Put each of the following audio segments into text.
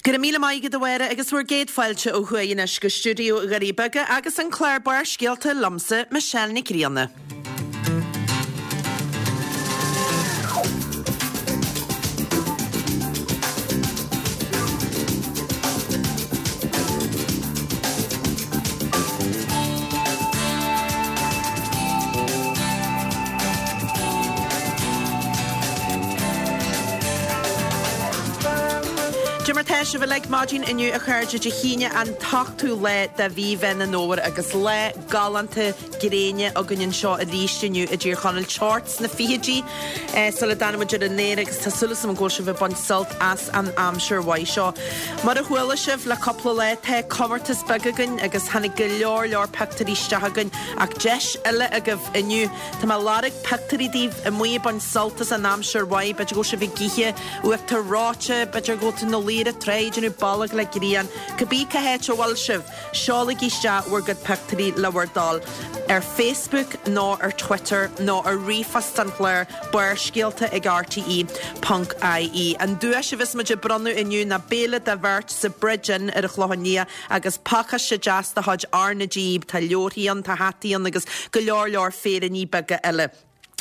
Go raibh míle maith agat a Mháire agus bhur gcéad fáilte ó thuaidh anois go stiúideo Dhoirí Beaga agus an clár Barrscéalta liomsa, Michelle Nic Grianna. Cad é mar tá sibh uilig maidin inniu a chairde Dé hAoine an t-ochtú lá de mhí Mheán an Fhómhair agus lá galánta gréine againn anseo arís inniu i dTír Chonaill, teocht sna fichidí sula dtáinig muid ar an aer agus tá súil agam go bhfuil sibh ag baint sult as an aimsir mhaith seo. Mar a chuala sibh le cúpla lá tá comórtas beag againn agus tháinig go leor leor pictiúirí isteach againn ach deis eile agaibh inniu. Tá mé ag lorg pictiúirí daoibh amuigh ag baint sult as an aimsir mhaith, b'fhéidir go bhfuil sibh ag ithe uachtar reoite, b'fhéidir go bhfuil tú ina luí ar an trá ag déanamh bolg le grian, cibé cá háit a bhfuil sibh, seolaigí isteach bhur gcuid pictiúirí le bhur dtoil ar Facebook nó ar Twitter nó ar ríomhphost an chláir, Barrscéalta ag RTE ponc ie. An duais a bheas muid ag bronnadh inniu ná béile do bheirt sa Bridge Inn ar an Chlochán Liath agus pacáiste deas de chuid R na G, tá leabharthaí ann, tá hataí ann agus go leor leor féiríní beaga eile.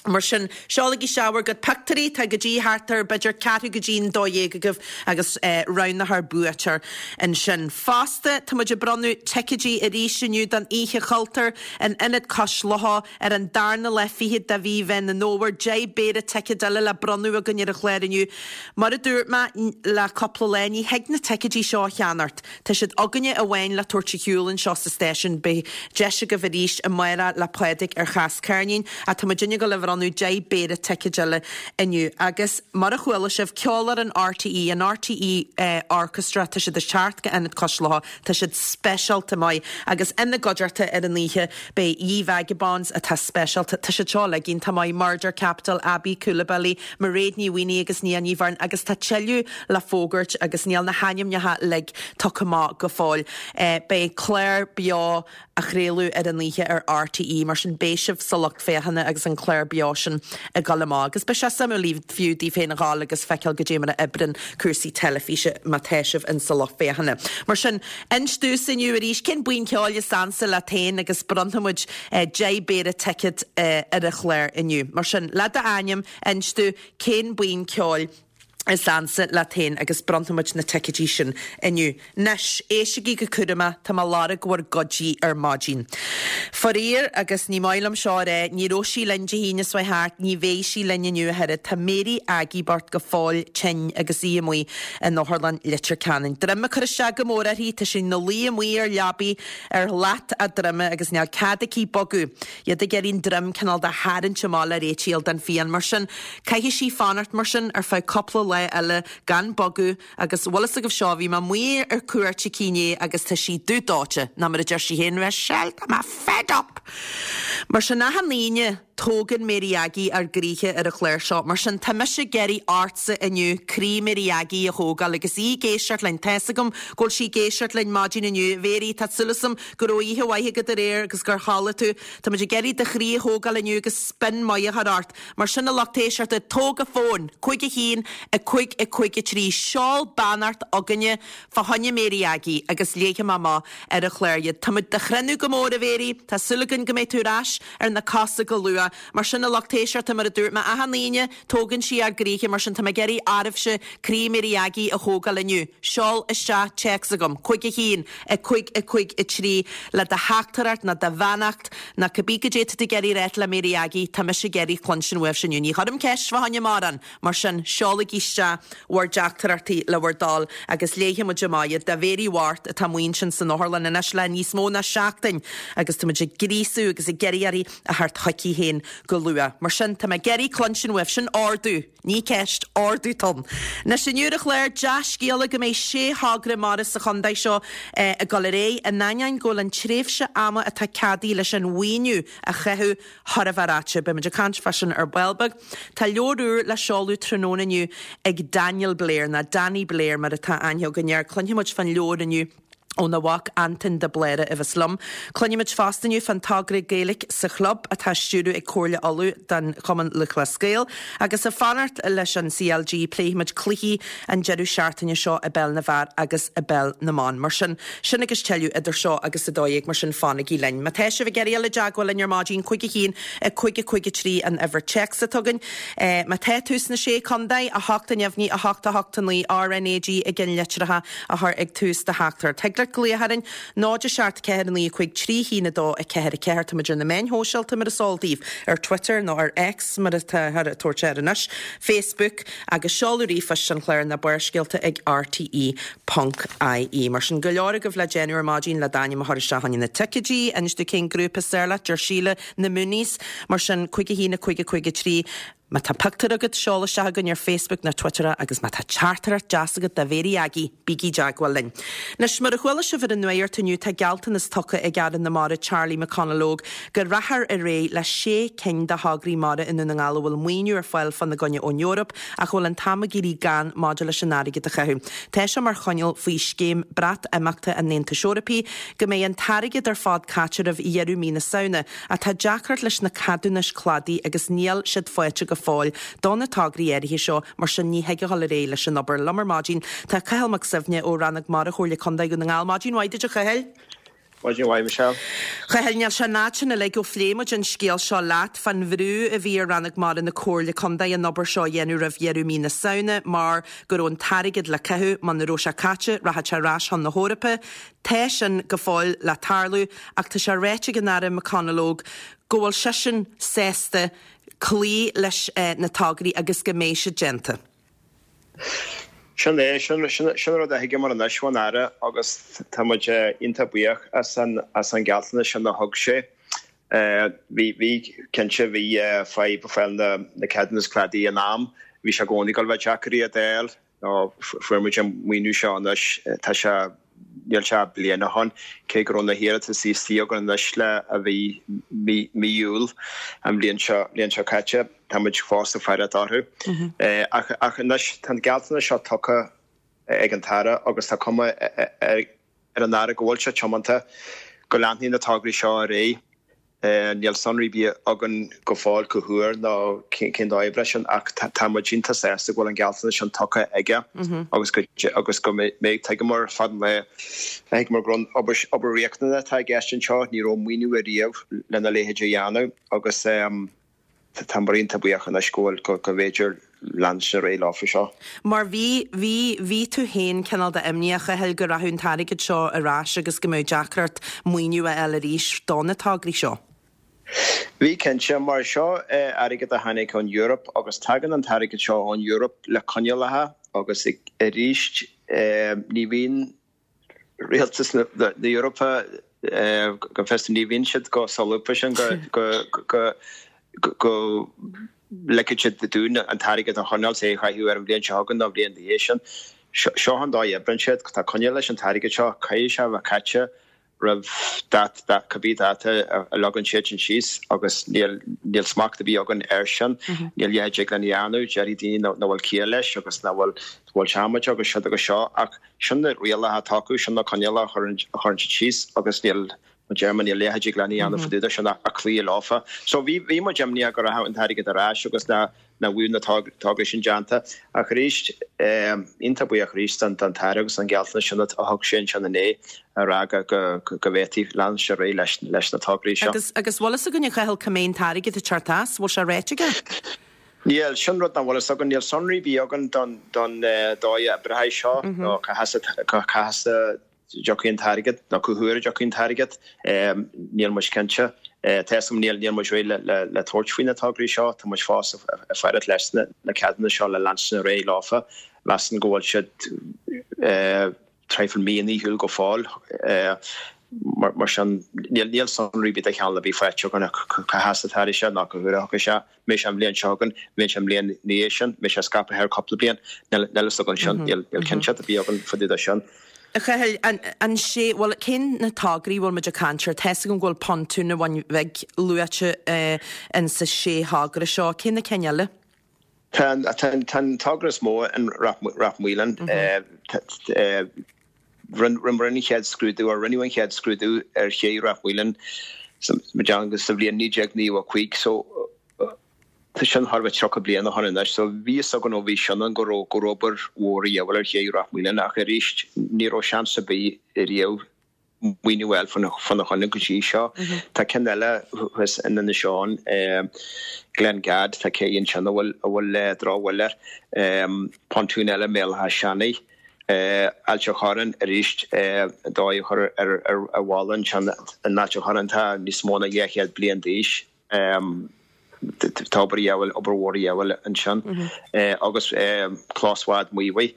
Mar sin, seolaigí isteach bhur gcuid pictiúirí, tá go dtí thart ar b'fhéidir ceathrú go dtí an 12 agaibh agus roghnófar buaiteoir ansin. Fosta, tá muid ag bronnadh ticéidí arís inniu don Oíche Chultúir in Ionad Cois Locha ar an darna lá fichead de mhí Mheán an Fhómhair. 10 bpéire ticéad eile le bronnadh againn ar an chlár inniu. Mar a dúirt mé le cúpla lá, ní thig na ticéidí seo a cheannacht. Tá siad againne amháin le tabhairt ar shiúl anseo sa stáisiún. Beidh deis agaibh arís amárach le Pádraig ar Chas Ceirnín ach tá muidinne ag dul a bhronnadh 10 bpéire ticéid eile inniu. Agus mar a chuala sibh, Ceolfhoireann RTÉ, an RTÉ Orchestra, tá siad ag teacht go Ionad Cois Locha, tá siad speisialta maith agus ina gcuideachta ar an oíche beidh Ye Vagabonds atá speisialta, tá siad seo uilig iontach maith, Murder Capital, Aby Coulibaly, Mairéad Ní Mhaonaigh agus Nia Ní Bheirn agus tá tuilleadh le fógairt agus níl na hainmneacha uilig tugtha amach go fóill. Beidh clár beo á chraoladh ar an oíche ar RTÉ, mar sin beidh sibh sa lucht féachana agus an clár beo sin ag dul amach. Agus beidh sé suimiúil fiú daoibh féin a ghabháil agus feiceáil goidé mar a oibreann cúrsaí teilifíse má tá sibh in sa lucht féachana. Mar sin, inis domhsa inniu arís cén buíon ceoil is ansa leat féin agus bronnfaidh muid 10 bpéire ticéad ar an chlár inniu. Mar sin, le d'ainm, inis domh cén buíon ceoil is ansa leat féin agus bronnfaidh muid na ticéidí sin inniu. Anois, éistigí go cúramach, tá mé ag lorg bhur gcuidí ar maidin. Faraor, agus ní maith liom seo a rá, ní raibh sí linn Dé hAoine seo thart, ní bheidh sí linn inniu ach oiread. Tá Mary Aggie bocht go fóill tinn agus í amuigh in Otharlann Leitir Ceanainn. Droim ag cur isteach go mór uirthi, tá sí ina luí amuigh ar leabaidh ar shlat a droime agus níl cead aici bogadh. Iad ag iarraidh an droim cineál de tharraingt amach le réitigh a fháil don phian. Mar sin, caithfidh sí fanacht mar sin ar feadh cúpla lá eile gan bogadh agus, bhfuil fhios agaibh seo, bhí mé amuigh ar cuairt aici inné agus tá sí dubh dóite, nó mar a deir sí féin, Michelle, tá mé fed up! Mar sin, achan Aoine, tógann Mary Aggie ár gcroíthe ar an chlár seo. Mar sin, tá mise ag iarraidh ortsa inniu croí Mary Aggie a thógáil agus í ag éisteacht linn. Tá fhios agam go bhfuil sí ag éisteacht linn maidin inniu. A Mhary, tá súil agam Go raibh oíche mhaith agat aréir agus gur chodlaigh tú. Tá muid ag iarraidh do chroí a thógáil inniu agus spin maith a chur ort. Mar sin a lucht éisteachta, tóg an fón! 5 1 5 5 3 Seol beannacht chugainne fá choinne Mary Aggie agus léifidh mé amach ar an chlár iad. Tá muid do chrinneadh go mór, a Mhary. Tá súil againn go mbeidh tú ar ais ar na cosa go luath. Mar sin a lucht éisteachta, mar a dúirt mé, achan Aoine, tógann sí ár gcroíthe, mar sin tá mé ag iarraidh oraibhse croí Mary Aggie a thógáil inniu. Seol isteach téacs chugam, 5 1 5 5 3, le do theachtaireacht nó do bheannacht nó cibé goidé tá tú ag iarraidh a ráit le Mary Aggie, tá mise ag iarraidh cluinstin uaibhse inniu. Ní chuirim ceist fá choinne mórán, mar sin seolaigí isteach bhur dteachtaireachtaí le bhur dtoil agus léifidh muid amach iad do Mhary bhocht atá amuigh ansin san otharlann anois le níos mó ná seachtain agus tá muid ag gríosú agus ag iarraidh uirthi a theacht chuici féin go luath. Mar sin, tá mé ag iarraidh cluinstin uaibh, sin ordú, ní ceist, ordú atá ann. Anois, inniu ar an chlár, dea-scéala go mbeidh sé thogra mara sa chontae seo ag dul ar aghaidh, in ainneoin go bhfuil an tréimhse ama atá ceadaithe leis an mhaoiniú a chaitheamh thar a bheith ráite. Beidh muid ag caint fá sin ar ball beag. Tá leabhar úr le seoladh tráthnóna inniu ag Daniel Blair, nó Danny Blair mar atá aithne againn air. Cluinfidh muid fán leabhar inniu. Óna mhac Antain de Bléara a bheas liom. Cluinfimid fosta inniu fán togra Gaeilge sa Chlub atá á stiúradh ag Comhairle Uladh don Chumann Lúthchleas Gael. Agus ag fanacht leis an CLG pléifimid cluichí an deireadh seachtaine seo i bPeil na bhFear agus i bPeil na mBan. Mar sin, sin agus tuilleadh idir seo agus 12 mar sin fanaigí linn. Má tá sibh ag iarraidh dul i dteagmháil linn ar maidin, 5 1 5 5 3 an uimhir téacs atá againn. Má tá tú sna Sé Contae, 8 a neamhní 8 8 9 RNAG i gceannlitreacha a chur ag tús do theachtaireacht. Thig leat glaoch orainn, 0 7 4 9 5 3 1 2 4 4. Táimid ar na meáin shóisialta mar is eol daoibh, ar Twitter nó ar X mar atáthar ag tabhairt air anois, Facebook agus seoladh ríomhphoist an chláir ná Barrscéalta ag rte ponc ie. Mar sin, go leor agaibh le déanamh ar maidin le d'ainm a chur isteach chun na ticéidí. Inis dúinn cén grúpa is fearr leat, deir Síle, na Mooneys. Mar sin, 5 1 5 5 3. Má tá pictiúr agat, seol isteach chugainn ar Facebook nó Twitter é agus má tá teachtaireacht deas agat do Mhéirí Aggie, bígí i dteagmháil linn. Anois, mar a chuala sibh ar an nuacht inniu, tá gealltanas tugtha ag Aire na Mara Charlie McConalogue go rachfar ar aghaidh le sé cinn de thograí mara i nDún na nGall a bhfuil maoiniú ar fáil fána gcoinne ón Eoraip ach a bhfuil an t-am ag éirí gann maidir leis an airgead a chaitheamh. Tá sé mar choinníoll faoi scéim Breatimeachta an Aontais Eorpaigh go mbeidh an t-airgead ar fad caite roimh dheireadh mí na Samhna. Ach tá deacracht leis na ceadúnais cladaigh agus níl siad faighte go fóill do na tograí áirithe seo, mar sin ní thig a dhul ar aghaidh leis an obair. Liom ar maidin tá Cathal Mac Suibhne ó Rannóg Mara Chomhairle Contae Dhún na nGall. Maidin mhaith duit a Chathail. Maidin mhaith Michelle. Chathail, níl sé an fhad sin uilig ó phléigh muid an scéal seo leat fán bhrú a bhí ar Rannóg Mara na Comhairle Contae an obair seo a dhéanamh roimh dheireadh mí na Samhna mar go raibh an t-airgead le caitheamh, muna raibh sé caite, rachadh sé ar ais chun na hEorpa. Tá sin go fóill le tarlú ach tá sé ráite ag an Aire McConalogue go bhfuil seisean sásta cloí leis na tograí agus go mbeidh siad déanta. Sin é, sin an rud a thuigeamar anois ón Aire agus tá muid iontach buíoch as an ghealltanas sin a thug sé. Bhí, bhí, cinnte, bhí fadhb fáil na ceadúnas cladaigh in am, bhí sé i gcónaí ag dul a bheith deacair iad a fháil. Nó fuair muid an maoiniú seo anois, tá sé, níl sé ach bliain ó shin, cé go raibh na hiarrataisí istigh againn anois le a bhí mí, mí Iúil an bhliain seo, bhliain seo caite, tá muid fós ag faire orthu. Ach, ach anois tá an gealltanas seo tugtha ag an tAire agus tá cuma ar an Aire go bhfuil sé tiomanta go leanfaidh na tograí seo ar aghaidh. Níl sonraí ar bith againn go fóill cá huair nó cén dóigh a oibreoidh sin ach tá muid iontach sásta go bhfuil an gealltanas sin tugtha aige agus go agus go mbeidh tuigeamar fad an lae thuigeamar gur obair obair riachtanach atá i gceist anseo ní raibh maoiniú ariamh lena leithéid a dhéanamh agus Tá muid iontach buíoch anois go bhfuil, go bhféidir leanstan ar aghaidh leofa seo. Mar bhí, bhí, bhí tú féin cineál de imníoch, a Chathail, go rachadh an t-airgead seo ar ais agus go mbeadh deacracht maoiniú a fháil arís do na tograí seo. Bhí, cinnte, mar seo airgead a tháinig ón Eoraip agus tagann an t-airgead seo ón Eoraip le coinníollacha agus arís ní bhíonn Rialtas na hEorpa, go bhfios dom, ní bhíonn siad chomh solúbtha sin go ligfidh siad dúinn an t-airgead a choinneáil, is é a chaitheamh ar an bhliain seo chugainn nó an bhliain ina dhiaidh sin. Seo an dóigh a oibríonn siad, tá coinníoll leis an t-airgead seo, caithfidh sé a bheith caite roimh dáta, cibé dáta a leagann siadsan síos agus níl smacht ar bith againn air sin, níl a dhath a dtig linn a dhéanamh, déarfaidh daoine nach bhfuil ciall leis agus nach bhfuil, go bhfuil sé amaideach agus siúd agus seo ach sin na rialacha atá acu, sin na coinníollacha a chuireann siad síos agus níl, mar a deir mé, níl a dhath a dtig linn a dhéanamh fá dtaobh de sin ach cloí leofa. So bhí, bhí muid imníoch go rachadh an t-airgead ar ais agus nach, nach bhfuil na tograí sin déanta. Ach arís, iontach buíoch arís don tAire agus an gealltanas sin a thug sé ansin inné a rá go, go, go bhféadfaí leanstan ar aghaidh leis, leis na tograí seo. Agus, agus bhfuil fhios againn a Chathail cá mbeidh an t-airgead ag teacht as? Bhfuil sé ráite aige? Níl, sin rud nach bhfuil fhios againn. Níl sonraí ar bith againn don dóigh a oibreoidh seo nó cá has a dtiocfaidh an t-airgead nó cá huair a dtiocfaidh an t-airgead. Níl muid cinnte. Tá fhios agam níl muid réidh le tabhairt faoi na tograí seo. Tá muid fós ag faire leis na ceadúnais seo le leanstan ar aghaidh leofa. Measaim go bhfuil siad traidhfil mí ar shiúl go fóill. Mar sin, níl sonraí ar bith de chineál ar bith faighte againn cá has atá sé ná cá huair a thiocfaidh sé. Mbeidh sé an bhliain seo chugainn, mbeidh sé an bhliain ina dhiaidh sin, mbeidh sé scaipthe thar cúpla bliain, níl fhios againn sin, níl cinnteacht ar bith againn fá dtaobh de sin. A Chathail, an sé, bhuel, cén na tograí a bhfuil muid ag caint air? Tá fhios agam go bhfuil pontún an Bhun Bhig luaite in sa sé thogra seo, cé na cinn eile? Tá an togra is mó in Rath Maoláin. Rinneamar an chéad scrúdú, or rinneadh an chéad scrúdú ar ché Ráth Mhaoileann sa bhliain 1995 so tá sin thar a bheith 30 bliain ó shin anois so bhí fhios againn ó bhí sin ann go raibh go raibh obair mhór a dhíobháil ar ché Ráth Mhaoileann ach arís ní raibh seans ar bith riamh maoiniú a fháil fána choinne go dtí seo. Tá ceann eile thuas in Inis Eoghain, Glengad, tá cé ansin a bhfuil a bhfuil drochbhail air, pontún eile i mBéal Átha Seanaidh, Ailt an Chorráin arís, dóigh a chur ar ar bhalla ansin in Ailt an Chorráin atá níos mó ná 200 bliain d'aois. Tá obair a dhíobháil, obair mhór a dhíobháil ansin agus clós Bhád Mhaoibhigh,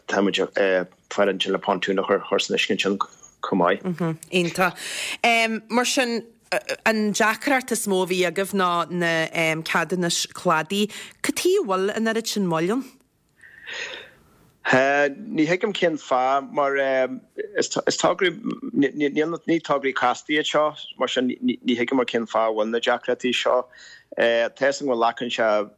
tá muid ag faire ansin le pontún a chur san uisce ansin chomh maith. Iontach. Mar sin, an deacracht is mó a bhí agaibh ná na ceadúnais cladaigh. Cad chuige a bhfuil an oiread sin moill ann? Ní thuigim cén fáth, mar is tograí, ní tograí casta iad seo, mar sin ní thuigim cén fáth a bhfuil na deacrachtaí seo. Tá fhios agam go nglacann sé,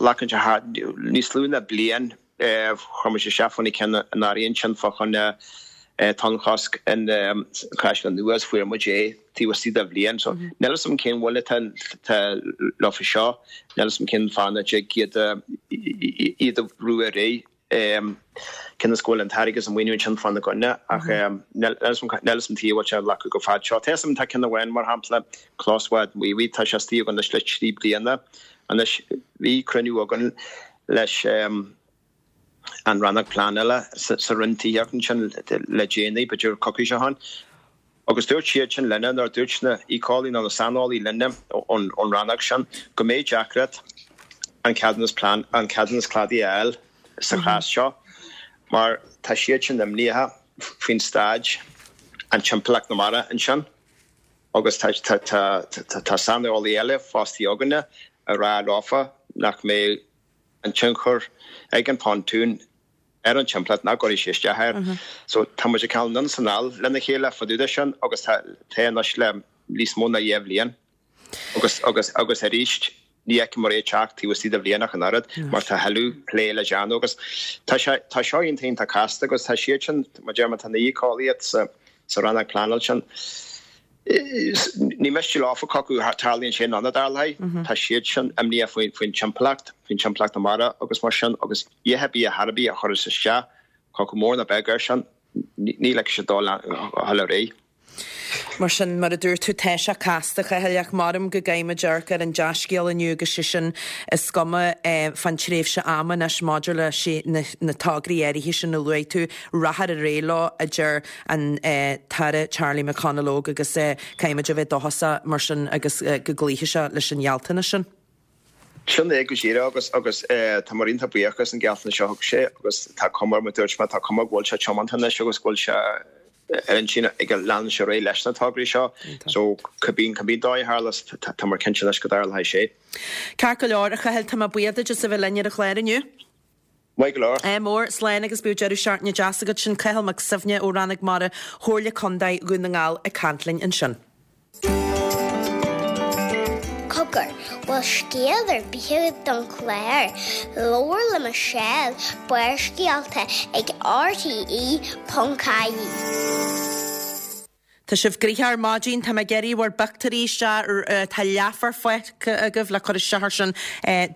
glacann sé thart, níos lú ná bliain, chuir muid isteach fá na cinn anuraidh ansin fá choinne tonnchosc in Caisleán Nua agus fuair muid é taobh istigh de bhliain. So níl fhios agam cén mhoill atá leofa seo, níl fhios agam cén fáth nach dtig iad iad a bhrú ar aghaidh cionn is go bhfuil an t-airgead is an maoiniú ansin fána gcoinne ach níl fhios agam cad chuige a bhfuil sé ag glacadh chomh fada seo. Tá fhios agam tá ceann amháin mar shampla, Clós Bhád Mhaoibhigh, tá sé istigh againn anois le 3 bliana anois. Bhí cruinniú againn leis an rannóg pleanála sa Roinn Tithíochta ansin le déanaí, b'fhéidir coicís ó shin, agus dúirt siad sin linne, nó dúirt na héiceolaí nó na saineolaí linne ón rannóg sin, go mbeidh deacracht an ceadúnas plean, an ceadúnas cladaigh a fháil sa chás seo mar tá siad sin imníoch faoin staid, an timpeallacht na mara ansin agus tá tá tá tá saineolaí eile fostaithe againne ag rá leofa nach mbeidh an tionchar ag an bpontún ar an timpeallacht, nach gcuirfidh sé isteach air. So tá muid ag caint anonn is anall lena chéile fá dtaobh de sin agus tá tá anois le níos mó ná dhá bhliain agus agus agus arís ní fheicimid é ag teacht taobh istigh de bhliain ach an oiread mar tá tuilleadh plé le déanamh agus tá sé tá seo iontach iontach casta agus tá siad sin mar deir mé tá na héiceolaithe sa sa rannóg pleanála sin Ní miste leofa chucu, tarlaíonn sé nó nach dtarlaíonn. Tá siad sin imníoch faoin timpeallacht, faoin timpeallacht na mara agus mar sin, agus a dhath ar bith a thairbhí a chuireas isteach chucu mór nó beag air sin, ní ligfidh siad dul a dhul ar aghaidh. Mar sin, mar a dúirt tú, tá sé casta, a Chathail, ach maram go gcaithfimid amharc ar an dea-scéal inniu agus sé sin, is cuma fán tréimhse ama anois maidir leis na tograí áirithe sin a luaigh tú, rachfar ar aghaidh leo, a deir an tAire Charlie McConalogue agus caithfimid a bheith dóchasach mar sin agus go gcloífidh sé leis an ghealltanas sin. Sin é go díreach agus agus tá muid iontach buíoch as an ghealltanas seo a thug sé agus tá cuma, mar a dúirt mé, tá cuma go bhfuil sé tiomanta anois agus go bhfuil sé ar intinn aige leanúint ar aghaidh leis na tograí seo. So cibé cibé dóigh a tharlós tá muid cinnte anois go dtarlóidh sé. Ceart go leor, a Chathail, tá mé buíoch duit as a bheith linn ar an chlár inniu. Maith go leor. Ádh mór, slán agus bíodh deireadh seachtaine deas agat. Sin Cathal Mac Suibhne ó Rannóg Mara Chomhairle Contae Dhún na nGall ag caint linn ansin. Cogar, bhfuil scéal ar bith agat don chlár? Labhair le Michelle, Barrscéalta ag rte.ie. Tá sibh gnoitheach ar maidin, tá mé ag iarraidh bhur bpictiúirí isteach, tá leathuair fágtha agaibh le cur isteach ar sin.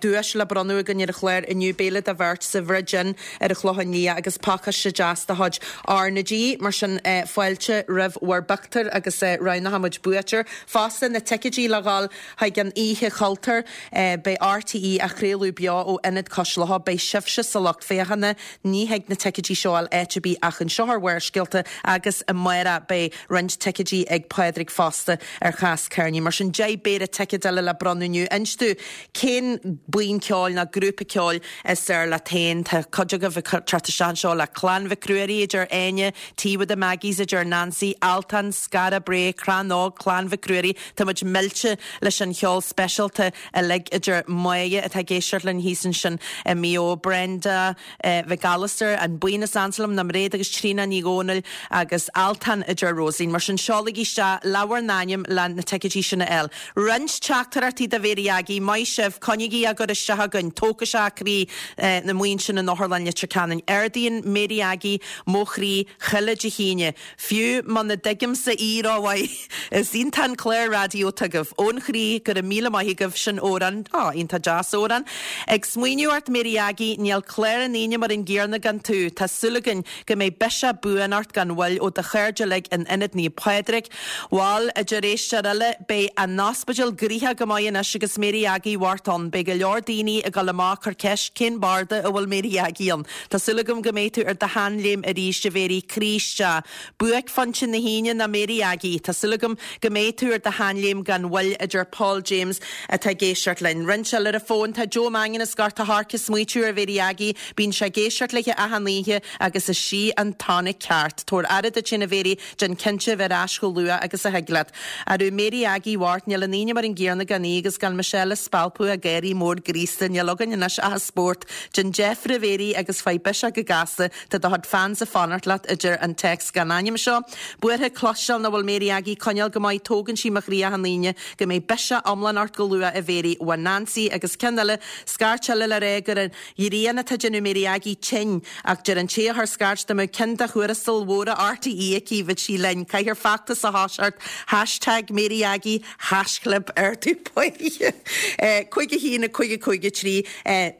Duais le bronnadh againn ar an chlár inniu, béile do bheirt sa Bhridge Inn ar an Chlochán Liath agus pacáiste deas de chuid R na G. Mar sin, fáilte roimh bhur bpictiúir agus roghnóidh muid buaiteoir. Fosta, na ticéidí le dhul chuig an Oíche Chultúir, beidh RTÉ á chraoladh beo ó Ionad Cois Locha, beidh sibhse sa lucht féachana, Ní thig na ticéidí seo a fháil áit ar bith ach anseo ar Bharrscéalta agus amárach beidh roinnt ticéidí ag Pádraig fosta ar Chás Kearney. Mar sin 10 bpéire ticéad eile le bronnadh inniu. Inis dúinn cén buíon ceoil nó grúpa ceoil is fearr leat féin. Tá cuid agaibh ag teacht isteach anseo le Clann Mhic Ruairí, a deir Áine, Tea with the Maggies, a deir Nancy, Altan, Skara Brae, Crann Óg, Clann Mhic Ruairí. Tá muid millte leis an cheol speisialta uilig a deir Máire atá ag éisteacht linn thíos ansin i Maigh Eo, Brenda Mhic Alastair, an buíon is ansa liom ná Mairéad agus Tríona Ní Dhomhnaill agus Altan a deir Rosaleen. sin seolaigí isteach le bhur n-ainm le na ticéidí sin a fháil. Roinnt teachtaireachtaí do Mhéirí Aggie, maith sibh, coinnígí á gcur isteach againn, tógfaidh sé croí na amuigh ansin in Otharlann Leitir Ceanainn. Ardaíonn Mary Aggie mo chroí chuile Dé hAoine. Fiú muna dtuigimse í rómhaith. Is iontach an clár raidió atá agaibh. Ón chroí, go raibh míle maith agaibh, sin Odhrán. Á, iontach deas, Odhrán. Ag smaoineamh ort Mary Aggie, níl clár an Aoine mar an gcéarna gan tú. Tá súil againn go mbeidh biseach buan ort gan mhoill ó do chairde uilig in Ionad Naomh Pádraig. Bhal, a deir éisteoir eile, beidh an ospidéal gnoitheach go maith anois agus Mary Aggie bhart ann. Beidh go leor daoine ag dul amach ag cur ceist cén barda a bhfuil Mary Aggie ann. Tá súil agam go mbeidh tú ar do sheanléim arís, a Mhéirí, croí isteach. Buaicphointe na hAoine ná Mary Aggie. Tá súil agam go mbeidh tú ar do sheanléim gan mhoill, a deir Paul James atá ag éisteacht linn. Roinnt eile ar an bhfón, tá Joe Mangan as Gort a' Choirce ag smaoitiú ar Mhary Aggie. Bíonn sé ag éisteacht léi achan oíche agus is sí an tonic ceart. Tabhair aire duit féin a Mhéirí, déan cinnte a bheith ar ais chomh luath agus a thig leat. Arú Mary Aggie bhocht, níl an Aoine mar an gcéarna gan í agus gan Michelle ag spalpadh a gáirí mór graosta, níl againn anois ach an spórt. Déan deifir a Mhéirí agus faigh biseach go gasta, tá do chuid fans ag fanacht leat, a deir an téacs gan ainm seo. Buartha cloisteáil nach bhfuil Mary Aggie coinneáil go maith, tógann sí mo chroí achan Aoine. Go mbeidh biseach iomlán ort go luath a Mhéirí, uaidh Nancy agus ceann eile, scairt eile le rá gur an ghrian atá ag déanamh Mary Aggie tinn ach deir an té a chuir scairt dá mbeadh ceann de thuarastail mhóra RTÉ aici bheadh sí linn. Caithfear feachtas a thoiseacht hashtag Mary Aggie haischlib ardú pointe 5 1 5 5 3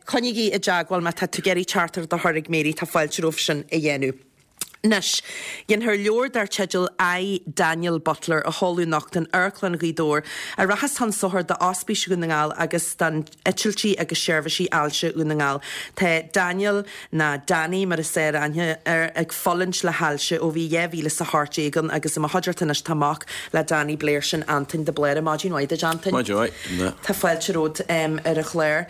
Coinnígí i dteagmháil má tá tú ag iarraidh teachtaireacht a chur ag Mary tá fáilte romhaibh sin a dhéanamh. Anois, déanfar leabhar dar teideal I, Daniel Butler a sheoladh anocht in Amharclann Ghaoth Dobhair, a rachas chun sochair d'Ospís Dhún na nGall agus don Eitiltí agus Seirbhísí Ailse Dhún na nGall. Tá Daniel, ná Danny mar is fearr aithne air, ag fulaingt le hailse ó bhí 2018 ann agus i mo chuideachta anois tá mac le Danny Blair, sin Antoin de Blaire. Maidin mhaith duit, Antoin. Maidin mhaith. Tá fáilte romhat ar an chlár.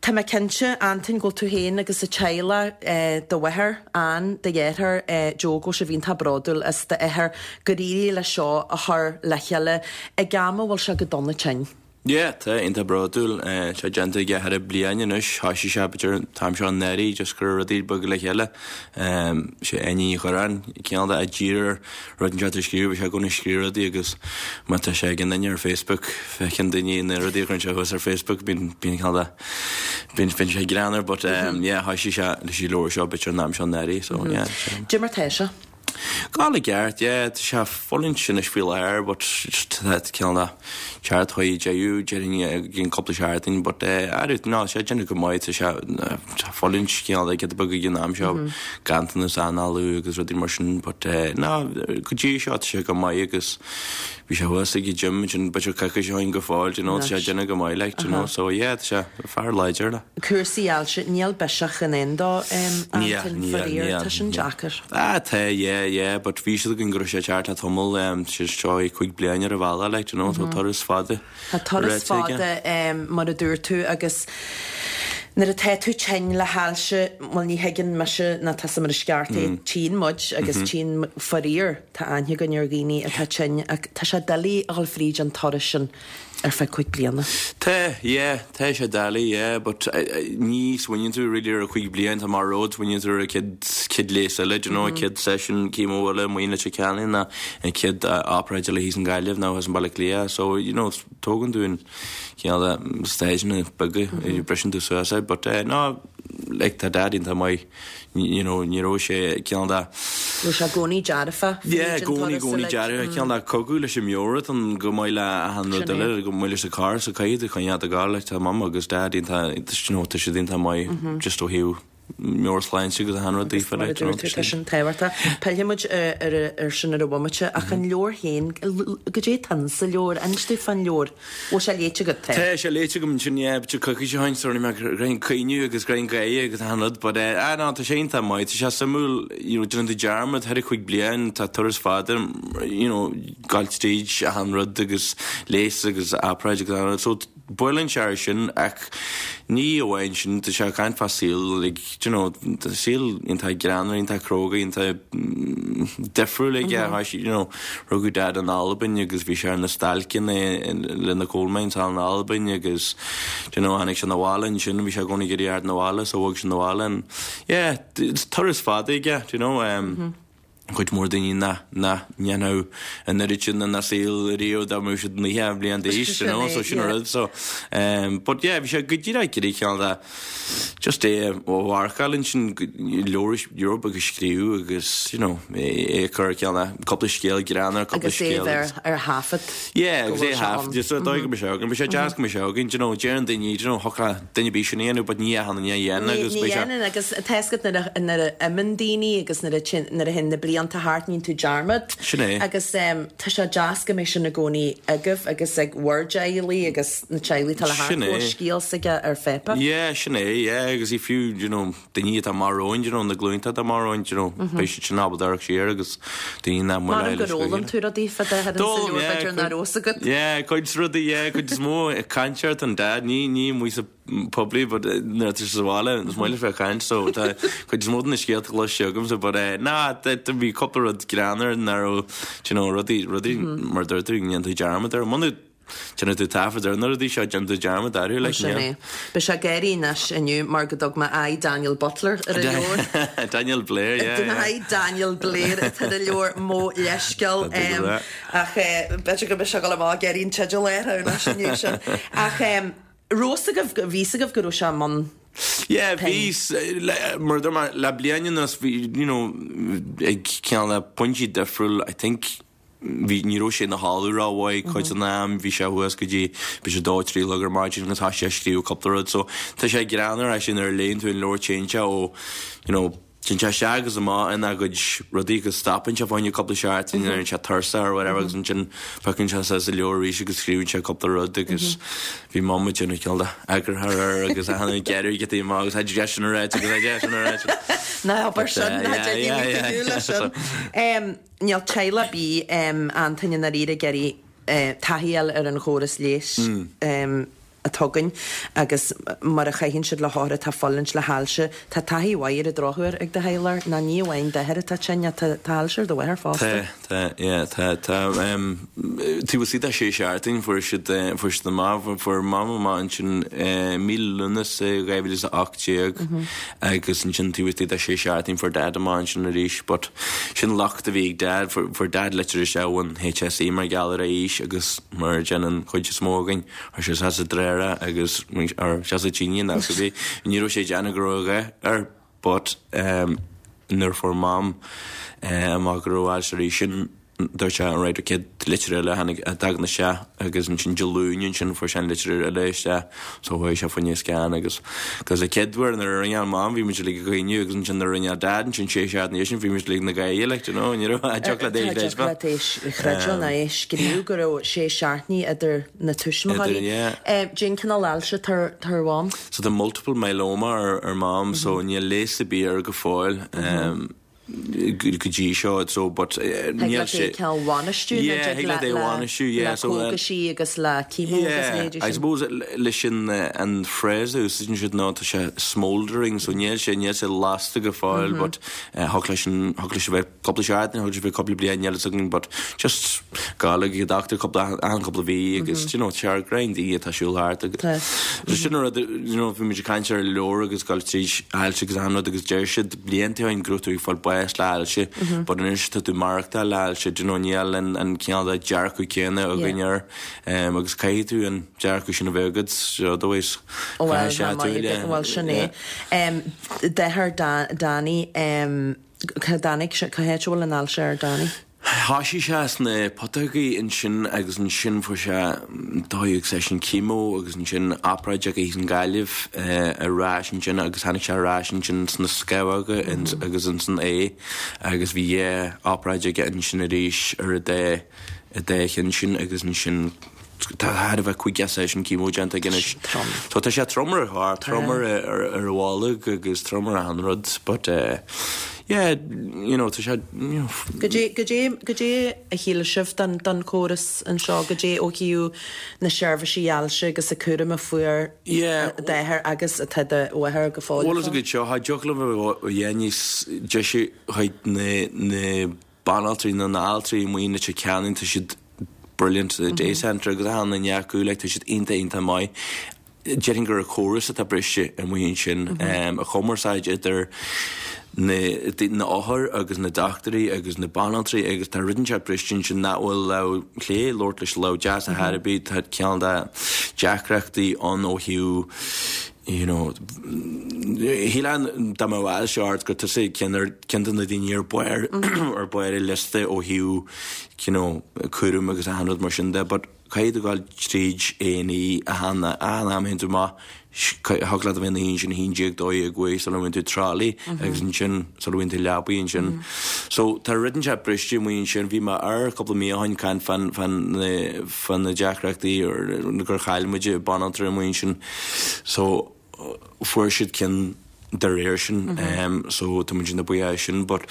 Tá mé cinnte, Antoin, go bhfuil tú féin agus an teaghlach, do mháthair, Ann, do dheartháir, Joe, go bhfuil sibh iontach bródúil as d'athair gur éirigh leis seo a chur le chéile ag am a bhfuil sé go dona tinn. Yeah, tá, iontach bródúil. Tá sé déanta aige thar bliain anois. Thoisigh sé b'fhéidir an t-am seo anuraidh, just go raibh rudaí ag bogadh le chéile. Sé Áine Ní Churráin, cineál de a d'iarr air rud inteacht a scríobh, bhí sé i gcónaí ag scríobh rudaí agus má tá sé ag an duine ar Facebook, feiceann daoine na rudaí a chuireann sé thuas ar Facebook, bíonn bíonn cineál de bíonn bíonn sé greannmhar but yeah thoisigh sé leis an leabhar seo b'fhéidir an am seo anuraidh so yeah. Cad é mar tá sé? Ag gabháil i gceart, yeah, tá sé ag fulaingt anois faoi láthair but just tá cineál de teacht chuige deireadh déarfainn i gcionn cúpla seachtain but eh arú no tá sé ag déanamh go maith tá sé tá fulaingt cineál de giota beag ag an am seo ganntanas análú agus rudaí mar sin but eh no go dtí seo tá sé go maith agus bhí sé thuas ag an gym ansin b'fhéidir coicís ó shin go fóill do you know tá sé ag déanamh go maith like do you know so yeah tá sé fear láidir like. Cúrsaí ailse, níl biseach i ndán dó Níl, Antoin, níl, faraor, níl, tá sin níl. deacair. Ah tá, yeah, yeah, but bhí a fhios againn go raibh sé ag teacht le tamall, sé seo é 5 bliain ar a bhealach like do you know, tá turas fada Tá turas rite aige. fada mar a dúirt tú agus nuair atá tú tinn le hailse, bhuel ní thuigeann mise ná tusa mar is ceart é, tchíonn muid agus tchíonn faraor, tá aithne againn ar dhaoine atá tinn ach tá sé doiligh a dhul fríd an turas sin ar feadh 5 bliana. Tá, yeah, tá sé doiligh, yeah, but ní smaoiníonn tú really ar 5 bliain, tá mar rud, smaoiníonn tú ar an chéad, chéad leigheas eile, do you know, an chéad session chemo eile amuigh in Leitir Ceanainn ná an chéad obráid eile thíos i nGaillimh nó thíos i mBaile Átha Cliath, so, you know, tógann tú an cineál de stageanna beaga, briseann tú suas é, but no, like tá Dad iontach maith. you know, ní raibh sé cineál de. Raibh sé i gcónaí dearfa Yeah, i gcónaí, i gcónaí dearfa, cineál de cogadh leis an meabhair atá ann chomh maith le achan rud eile, chomh maith leis an carr, so caithfidh tú coinneáil ag gabháil, like tá mum agus dad iontach, you know, tá siad iontach maith just ó thaobh meabhairshláinte agus achan rud daofa, Mar a like, you know, dúirt tú, tá sin tábhachtach. Pillfidh muid ar sin ar an bhomaite, ach an leabhar féin, goidé atá sa leabhar, inis dúinn fán leabhar. Bhfuil sé léite agat? Tá sé léite agam ansin, yeah, b'fhéidir coicís ó shin, so rinne mé greim caoineadh agus greim gáire agus achan rud, but eh, ah no, tá sé iontach maith, tá sé suimiúil, you know, déanann tú dearmad thar an chúig bliain, tá turas fada, you know, gabháil tríd achan rud agus leigheas agus obráid agus achan rud, so buaileann sé air sin ach ní amháin sin, tá sé ag caint fá saol, like, do you know, tá saol iontach greannmhar, iontach cróga, iontach difriúil aige, tá sé, you know, Rugadh Dad in Albain agus bhí sé ar na stailceanna le na coal mines thall in Albain agus do you know tháinig sé 'na bhaile ansin, bhí sé i gcónaí ag iarraidh theacht 'na bhaile so bhog sé 'na bhaile and yeah, turas fada aige, do you know. Cuid mhór daoine nach nach ndéanfadh an oiread sin ina saol riamh dá mbeadh siad 90 bliain d'aois, you know, so sin an rud. So, um, but yeah, bhí sé go díreach ag iarraidh cineál de just é a mharcáil ansin, leabhar, leabhar beag a scríobh agus, you know, é a chur cineál de cúpla scéal greannmhar, cúpla Agus é scéal a bheith ar thaifead Yeah, go agus é bhfuil a sé thaifead, ann. just so dóigh go mbeidh sé againn. Bhí sé deas go mbeidh sé againn, you know, deireann daoine, you know, thiocfadh le duine ar bith sin a dhéanamh but ní achan duine a dhéanann Ní agus beidh sé. dhéanann agus tá fhios agat nuair a nuair a imíonn daoine agus nuair a nuair a théann na blianta thart níonn tú dearmad. Sin é. Agus tá sé deas go mbeidh sin i gcónaí agaibh agus ag bhur dteaghlaigh agus na teaghlaigh atá le Sin theacht go é. bhfuil scéal s'aige ar Phepe. Yeah, sin é, yeah agus í fiú, you know, daoine atá amach romhainn, you know, na glúnta atá amach romhainn, you know, beidh siad sin ábalta amharc siar agus daoine nach mbeidh Measaim gur fhoghlaim tú rudaí fá d'athair insa leabhar b'fhéidir nach raibh fhios agat. Yeah, cuid rudaí, yeah, cuid is mó ag caint ort an dad, ní, ní amuigh sa poiblí but nuair atá sé sa bhaile is maith leis bheith ag caint so tá cuid is mó de na scéalta cloiste agamsa but eh ná bhí cúpla rud greannmhar nach raibh, you know, rudaí, rudaí mar a dúirt tú, ndéanann tú dearmad orthu. Muna Déanann tú taifead ar na rudaí seo, déanann tú dearmad orthu, like, Sin é. Beidh sé ag gáirí anois inniu mar go dtug mé aghaidh Daniel Butler ar an leabhar. Daniel Blair, yeah, yeah. Aghaidh Daniel Blair atá ar an leabhar, mo leithscéal. Ach b'fhéidir go mbeidh sé ag dul amach ag iarraidh an teideal a athrú anois inniu sin. Ach raibh fhios agaibh, bhí fhios agaibh go raibh sé i mbun Yeah, pinn? bhí, mar a dúirt mé, le bliain anuas bhí, you know, ag cineál le pointí difriúil, I think, Bhí, ní raibh sé ina chodladh rómhaith cuid den am, bhí sé thuas go dtí b'fhéidir a dó, trí a chlog ar maidin agus thosaigh sé ag scríobh cúpla rud. So tá sé greannmhar actually nuair a léann tú an leabhar téann sé ó, you know, téann sé isteach agus amach ina gcuid rudaí agus stopann sé fá choinne cúpla seachtain, éiríonn sé tuirseach or whatever agus ansin piocann sé suas an leabhar arís agus scríobhann sé cúpla rud agus bhí Mam ag déanamh cineál de eagarthóir air agus achan uair ag gearradh giotaí amach agus tha sé sin ráite agus tha sé sin ráite. Ná habair sin, ná déan é leis sin. Níl teaghlach ar bith, Antaine, i ndáiríre ag iarraidh taithí a fháil ar an chóras leighis atá againn agus mar a chaitheann siad le hothair atá ag fulaingt le hailse. Tá taithí mhaith ar an drochuair ag do theaghlach, nó ní amháin d'athair atá tinn ach tá ailse ar do mháthair fosta. Tá, tá, yeah, tá, tá. Taobh istigh de sé seachtain fuair siad, fuair siad amach, fuair Mam amach ansin mí Lúnasa 2018. Agus ansin taobh istigh de sé seachtain fuair Dad amach ansin arís but sin locht a bhí ag Dad, fuair Dad litir isteach ón HSE mar gheall ar a aois agus mar a déanann an chuid is mó againn, chuir sé isteach sa dtreoir agus or isteach sa tine nó cibé, ní raibh sé ag déanamh go raibh a dhath air but nuair a fuair Mam amach go raibh ailse arís sin Dúirt sé, Alright, an chéad litir eile a tháinig, a dtagann isteach agus ansin Dé Luain ansin fuair sé an litir eile isteach so chuaigh sé fá choinne scan agus cos an chéad uair nuair a rinne Mam bhí muid uilig ag caoineadh agus ansin nuair a rinne Dad ansin sé seachtaine ina dhiaidh sin bhí muid uilig ina gáire like, do you know, ní raibh a dtiocfadh leat é a Tá chreidbheáil. dtiocfadh leat é a chreidbheáil ná é a scríobh go raibh sé seachtainí idir na tuismitheoirí. Idir, yeah. Cén cineál ailse atá ar atá ar Mham? So tá multiple myeloma ar ar Mam so níl leigheas ar bith air go fóill. Go dtí seo so but níl sé. Thig leat é a bhainistiú nó Yeah, thig leat é a bhainistiú, yeah, le cógaisí agus le chemo agus a leithéidí Yeah, I sin. suppose leis an an phrase a úsáideann siad ná tá sé smouldering so níl sé níl sé lasta go fóill but thiocfadh leis an thiocfadh leis a bheith cúpla seachtain, thiocfadh leis a bheith cúpla bliain níl fhios againn but just gabháil ag an dochtúir cúpla achan cúpla mhí agus you know tá sé ar grind atá ag siúl thart agus sin an rud you know bhí muid ag caint ar an leabhar agus gabháil tríd ailse agus achan rud agus deir siad blianta ó shin go raibh tú ag fáil bás le ailse but anois tá tú ag maireachtáil le ailse do you know níl an an cineál de dearcadh céanna againn air agus caithfidh tú an dearcadh sin a bheith agat so otherwise caithfidh sé tú le Bhuel sin é. D'athair Danny Cá dtáinig sé, cá háit a bhfuil an ailse ar Danny? Thoisigh sé sna putógaí ansin agus ansin fuair sé dódhíog seisiún chemo agus ansin obráid aige thíos i nGaillimh ar ais ansin agus tháinig sé ar ais ansin sna scamhóga agus insan ae agus bhí dhá obráid aige ansin arís ar an dá an dá cheann sin agus ansin tá thar a bheith 50 seisiún chemo déanta aige anois. Trom. So tá sé trom ar a chorp, trom ar ar a bholg agus trom ar achan rud but eh yeah you know tá sé you know. Goidé goidé goidé a shíl sibh den den chóras anseo goidé ó thaobh na seirbhísí ailse agus an cúram a fuair Yeah. d'athair agus atá do mháthair go fóill Bhuel is go seo cha dtiocfadh liom a bheith níos deise chuig na na banaltraí nó na altraí amuigh in Leitir Ceanainn, tá siad brilliant, the day centre agus achan duine acu, like tá siad iontach iontach maith. Déarfainn gur an córas atá briste amuigh ansin, an chumarsáid idir. na na othair agus na dochtúirí agus na banaltraí agus tá rud inteacht briste ansin nach bhfuil lámh chlé ag labhairt leis an lámh deas ar chor ar bith, tá cineál de deacrachtaí ann ó thaobh you know shílfeá dá mbeadh ailse ort gur tusa ceann ar ceann de na daoine ar barr ar barr an liosta ó thaobh you know cúram agus achan rud mar sin de but caithfidh tú gabháil tríd A&E achan achan am a théann tú amach thig leat a bheith ina shuí ansin 11 12 uair sula bhfaigheann tú trolley agus ansin sula bhfaigheann tú leabaidh ansin. So tá rud inteacht briste amuigh ansin bhí mé ar cúpla mí ó shin caint fán fán na fá na deacrachtaí gur chaill muid banaltra amuigh ansin so fuair siad ceann dá réir sin so tá muid iontach buíoch as sin but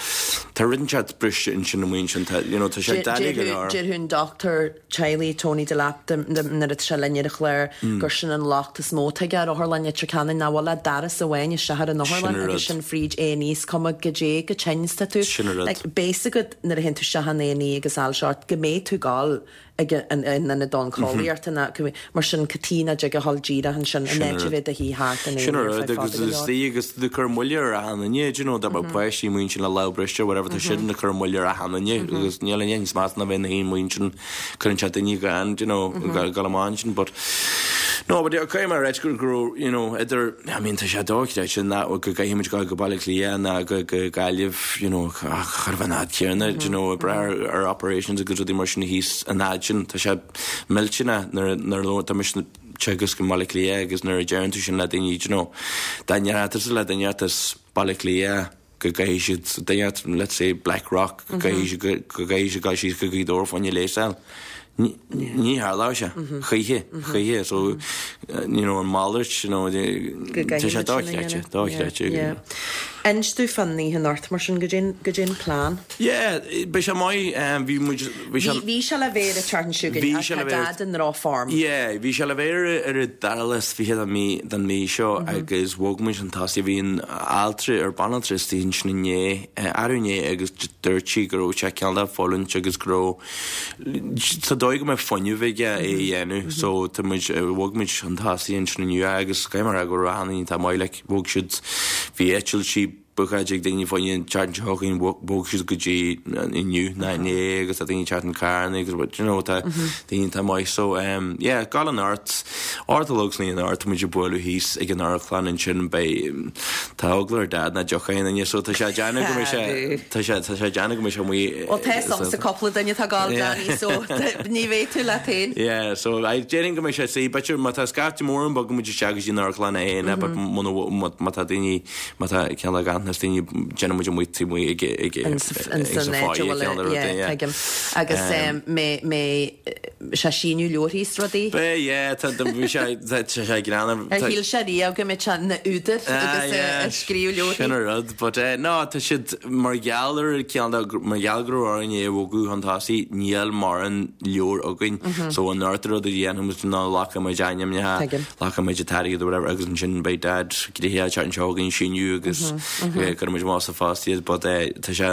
tá rud inteacht briste ansin amuigh ansin tá you know tá sé doiligh go leor. Déarfadh an dochtúir teaghlaigh Tony Delap nuair atá sé linn ar an chlár gur sin an locht is mó atá aige ar Otharlann Leitir Ceanainn nach bhfuil ach doras amháin isteach ar an otharlann agus sin fríd A&E is cuma goidé chomh tinn is atá tú. Sin an rud. Like beidh a fhios agat nuair a théann tú isteach in A&E agus ailse ort go mbeidh tú ag gabháil ag an ionad oncólaíochta ná mar sin cad chuige nach dtig a dhul díreach ansin in áit a bheith i do shuí thart in Sin an rud agus is í agus tú ag cur moille ar achan duine do you know dá mbeadh páistí amuigh ansin le lámh briste or whatever tá siad ag cur moille ar achan duine agus níl aon níos measa ná bheith ina shuí amuigh ansin cuireann sé daoine gan do you know gabháil amach ansin but no but caithfidh mé a ráit go raibh you know idir I mean tá sé dochreidte ná go gcaithfidh muid gabháil go Baile Átha Cliath ná go go Gaillimh you know chóir a bheith an fhad céanna do you know ag brath ar operations agus rudaí mar sin thíos an fhad sin tá sé millteanach nuair nuair tá mise teagasc i mBaile Átha Cliath agus nuair a deireann tú sin le daoine do you know dá ndéarfá tusa le duine as Baile Átha Cliath go gcaithfidh siad duine as let's say Blackrock go gcaithfidh siad go gcaithfidh siad dul síos go Gaoth Dobhair fá choinne leigheas a fháil. Ní tharlódh sé choíche, choíche so you know an malairt you know tá sé dochreidte, dochreidte. Inis domh fán oíche anocht mar sin, goidé an plean. Yeah, beidh sé maith, bhí muid, bhí sé. Bhí sé le bheith ar an tseachtain seo chugainn ach tá Dad i ndrochfhorm. Yeah, bhí sé le bheith ar an dara lá is 20 den mí, den mhí seo agus bhog muid chun tosaigh, bhí an altra ar banaltra istigh ansin inné, arú inné agus dúirt sí go raibh sé cineál de fulaingt agus go raibh Sa dóigh go mbeidh fuinneamh aige é a dhéanamh so tá muid, bhog muid chun tosaigh ansin inniu agus caithfidh mé a rá go raibh achan duine iontach maith like bhog siad, bhí eitiltí bookáilte ag daoine fá choinne an tseachtain seo chugainn, bhog siad go dtí inniu ná inné agus tá daoine ag teacht na carranna agus you know tá daoine iontach maith so yeah gabháil anocht, 8 a chlog san oíche anocht tá muid ag bualadh thíos ag an amharclann ansin beidh Tá eagla ar Dad nach dtiocfaidh aon duine so tá sé ag déanamh go mbeidh sé tá sé tá sé ag déanamh go mbeidh sé amuigh Bhuel tá fhios agamsa cúpla duine atá ag gabháil Danny so ní bheidh tú leat féin. Yeah so I déarfainn go mbeidh sé saoi b'fhéidir má tá scaifte mór ann bogfaidh muid isteach go dtí an amharclann é féin but muna má tá daoine má tá cineál de ganntanas daoine déanfaidh muid amuigh taobh amuigh ag ag ag sa foyer cineál de rud yeah tuigim agus mé mé sé síniú leabharthaí is rudaí. Beidh, yeah, tá, bhí sé, tá sé greannmhar. Ar shíl sé riamh go mbeadh sé ina údar agus ag scríobh leabharthaí? Sin an rud, but eh, no, tá siad, mar gheall ar cineál de, mar gheall go raibh orainn é a bhogadh chun tosaigh, níl mórán leabhar againn, so an rud a dhéanfaidh muid ná glacfaidh muid ainmneacha, Tuigim. glacfaidh muid an t-airgead or whatever agus ansin beidh Dad gnoitheach an tseachtain seo chugainn síniú agus cuirfidh muid amach sa phost iad, but eh, tá sé,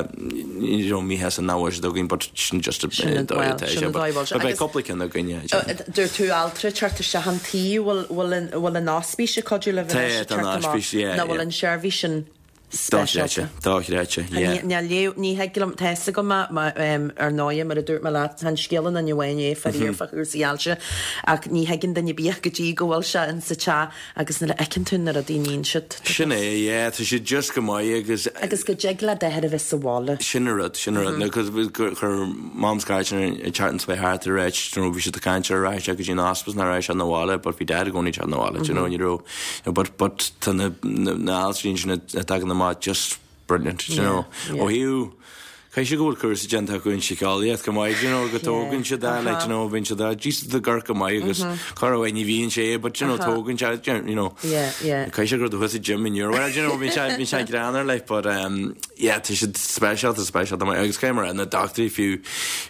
you know, míshásta nach bhfuil siad againn but sin just Sin an dóigh atá sé but beidh cúpla ceann againn yeah déarfainn. Dúirt tú altra ag teacht isteach an tí, bhfuil an bhfuil an ospís ag cuidiú libh anois ag Tá teacht an amach ospís yeah nó bhfuil yeah. an seirbhís sin speisialta? Dochreidte, dochreidte yeah. Ní léamh, ní thig liom, tá fhios agam ar ndóighe mar a dúirt mé leat, tá an scéal in duine amháin é faraor fá chúrsaí ailse ach ní thuigeann duine ar bith go dtí go bhfuil sé in sa teach Agus nuair a fheiceann tú na rudaí a níonn siad, tá Sin é, yeah, tá siad just go maith agus. Agus go dtig le d'athair a bheith sa bhaile. Sin an rud, sin an rud. Because chuir Mam scairt an tseachtain seo thart ag ráit, you know, bhí siad ag caint ar rachadh sé go dtí an hospice nó rachadh sé 'na bhaile, but bhí Dad i gcónaí ag teacht 'na bhaile, do you know, ní raibh, you know, but, but tá na, na, na altraí ansin a dtagann amach just brilliant, do you know. Ó thaobh, caithfidh sé go bhfuil cúrsa déanta acu in síceolaíocht go maith, do you know, go dtógann siad é, like, do you know, bíonn siad á, Jesus tá gorc go maith agus corruair ní bhíonn sé, but, do you know, tógann sé, you know, caithfidh sé go raibh tú thuas sa gym inniu, well, do you know, bíonn sé, bíonn sé greannmhar, like, but, um, yeah, tá siad speisialta, speisialta, agus caithfidh mé a rá, na dochtúirí fiú,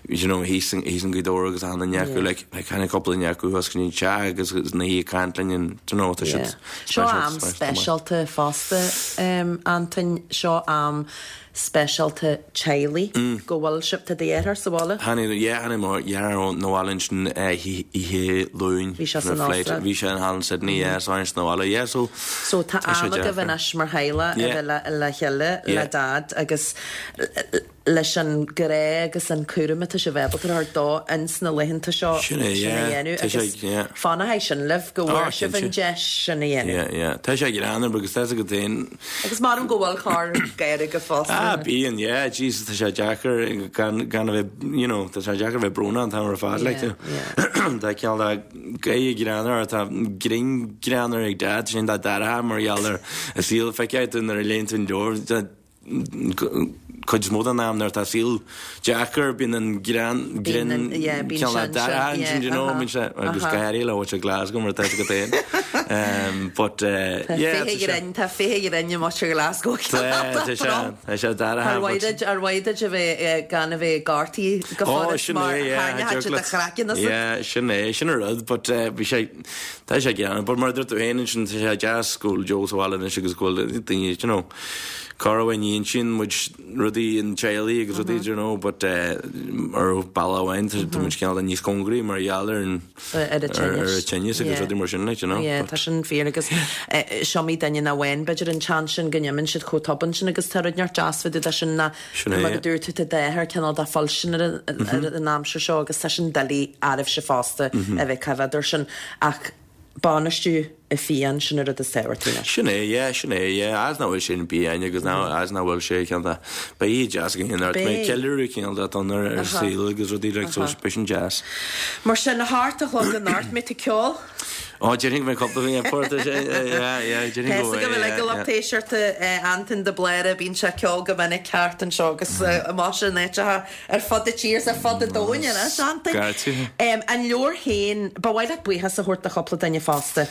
you know, thíos in, thíos in Gaoth Dobhair agus achan duine acu, like, like, tháinig cúpla duine acu thuas go dtí an teach agus ina shuí ag caint linn and, do you know, tá siad, Seo am speisialta fosta, Antain, seo am speisialta teaghlaigh. teaghlaigh, go bhfuil sibh, tá do dheartháir sa bhaile? Tháinig, yeah, tháinig mo dheartháir 'na bhaile ansin oíche Luain. Bhí sé san Astráil. Bhí sé thall in Sydney, yeah, so tháinig sé 'na bhaile, yeah, so. So tá am agaibh anois mar theaghlach a bheith le chéile, le Dad agus leis an grá agus an cúram atá sibh ábalta a thabhairt dó ins na laethanta seo sin a dhéanamh agus fanfaidh sin libh go bhfuair sibh an deis sin a dhéanamh. Yeah, yeah. Tá sé greannmhar agus tá a fhios agat féin. Agus measaim go bhfuil corr gáire agat fosta. Ah, bíonn, yeah, Jesus, tá sé deacair gan, gan a bheith, you know, tá sé deacair a bheith brónach an t-am ar fad, like, you know. Tá cineál de gáire greannmhar, tá grinn greannmhar ag Dad, sin dá deartháir mar gheall ar a saol, feicfidh tú nuair a léann tú an leabhar, cuid is mó den am nuair atá saol deacair bíonn an greann grinn cineál de deartháir ansin you know bíonn sé agus go háirithe le muintir Glasgow mar atá a fhios agat féin but yeah tá sé tá féithe grinn i muintir Glasgow tá tá sé tá sé deartháir Ar mhaith duit ar mhaith duit a bheith gan a bheith gortaithe go furast mar tharraingeodh sé do chraiceann asat. Yeah sin é sin an rud but bhí sé tá sé greannmhar but mar a dúirt tú féin ansin tá sé deas go bhfuil Joe sa bhaile anois agus go bhfuil daoine you know Corruair ní insíonn muid rudaí an teaghlaigh agus rudaí you know but ar bhealach amháin tá muid cineál de níos cóngaraí mar gheall ar an ar an tinneas agus rudaí mar sin like you know. Yeah tá sin fíor agus is iomaí duine nach bhfaigheann b'fhéidir an chance sin go n-imíonn siad chomh tobann sin agus tá rud inteacht deas fá dtaobh de sin ná mar a dúirt tú tá d'athair cineál de fuilstin ar an aimsir seo agus tá sin doiligh oraibhse fosta a bheith coimhéad air sin ach bainistiú a phian, sin an rud is tábhachtaí anois. Sin é, yeah, sin é, yeah. As nach bhfuil sé in pian agus ná as nach bhfuil sé cineál de, beidh oíche deas againn anocht, beidh ceiliúradh cineál de don ar ar saol agus rudaí like so beidh sin deas. Mar sin, a hocht a chlog anocht, mbeidh tú ag ceol? Ó, déarfainn go mbeidh cúpla yeah, port, yeah, yeah, déarfainn go mbeidh, yeah, yeah. Tá a fhios agam ag an lucht éisteachta Antain de Bláire, bíonn sé ag ceol go minic thart anseo agus amach in áiteacha Ar fud na tíre is ar fud an domhain anois, Antain. An leabhar féin, ba mhaith leat buíochas a thabhairt do chúpla duine fosta.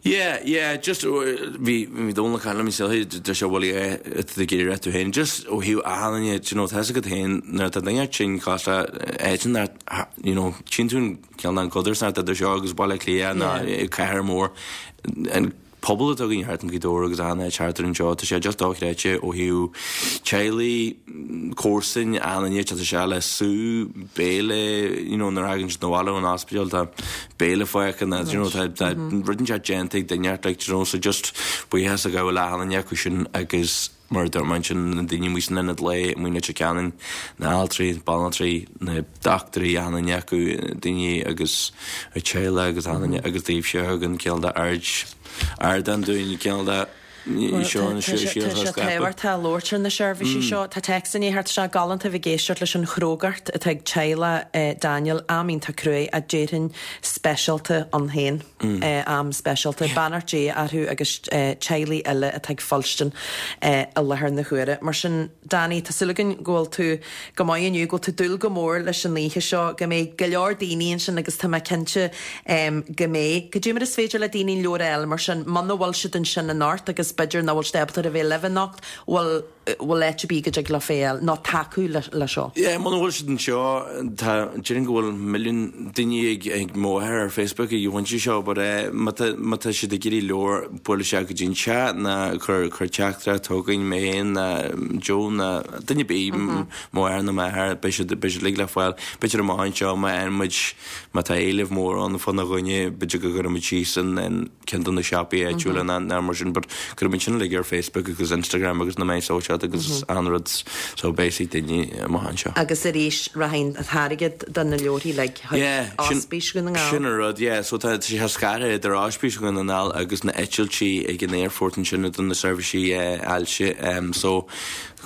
Yeah, yeah, just bhí bhí Dónal ag caint liom níos luaithe, deir sé bhuel yeah, tá tú ag iarraidh tú féin, just ó thaobh achan duine, do you know, tá fhios agat féin nuair atá duine tinn cosúil le áit nach, you know, tchíonn tú an cineál an codarsnacht idir seo agus Baile Átha Cliath nó cathair mór, an pobal atá againn thart in Gaoth Dobhair agus achan áit thart ar anseo, tá sé just dochreidte ó thaobh teaghlaigh, comharsain, achan duine, tá sé le sú, béile, you know, nuair a thagann siad 'na bhaile ón ospidéal tá béile fágtha nó, you know, tá tá rud inteacht déanta ag duine inteacht like, you know, so just buíochas a ghabháil le achan duine acu sin agus Mar a dúirt mé ansin, na daoine amuigh san ionad lae, amuigh i Leitir Ceanainn, na haltraí, banaltraí, na dochtúirí, achan duine acu, daoine agus a teaghlaigh agus achan duine agus daoibhse a thugann cineál de aird, ardán dúinn, cineál de seo an Tá sé tábhachtach labhairt ar na seirbhísí seo. Tá téacs i ndiaidh theacht isteach galánta a bheith ag éisteacht leis an chrógacht atá ag teaghlach Daniel, am iontach cruaidh ach déarfainn speisialta ann féin. Am speisialta. Beannacht Dé orthu agus teaghlaigh eile atá ag fuilstin i láthair na huaire. Mar sin, Danny, tá súil againn go bhfuil tú go maith inniu, go bhfuil tú ag dúil go mór leis an oíche seo, go mbeidh go leor daoine ansin agus tá mé cinnte go mbeidh. Cad é mar is féidir le daoine an leabhar a fháil mar sin, muna bhfuil siad ansin anocht agus b'fhéidir nach bhfuil siad ábalta a bheith libh anocht, bhfuil bhfuil áit ar bith go dtig leo é a fháil nó tacú le seo? Yeah, muna bhfuil siad anseo, tá, déarfainn go bhfuil milliún daoine ag, ag mo mháthair ar Facebook ag an bpointe seo, but eh, má tá, má tá siad ag iarraidh leabhar, buail isteach go dtí an teach ná cuir, cuir teachtaireacht chugainn, mé féin ná Joe ná duine ar bith, mo mháthair nó m'athair, beidh siad, beidh siad uilig le fáil. B'fhéidir amach anseo má fhaigheann muid, má tá éileamh mór ann fána gcoinne, b'fhéidir go gcuirfidh muid síos an, an, ceann de na siopaí áitiúla ná ná mar sin but cuirfidh muid sin uilig ar Facebook agus Instagram agus na meáin sóisialta agus an rud so beidh ag daoine amach anseo. Agus arís rachaidh an t-airgead do na leabharthaí uilig chuig Yeah, sin Ospís Dhún na nGall. sin an rud, yeah. So tá sé scartha idir Ospís Dhún na nGall agus na eitiltí ag an aerfort ansin do na seirbhísí ailse. So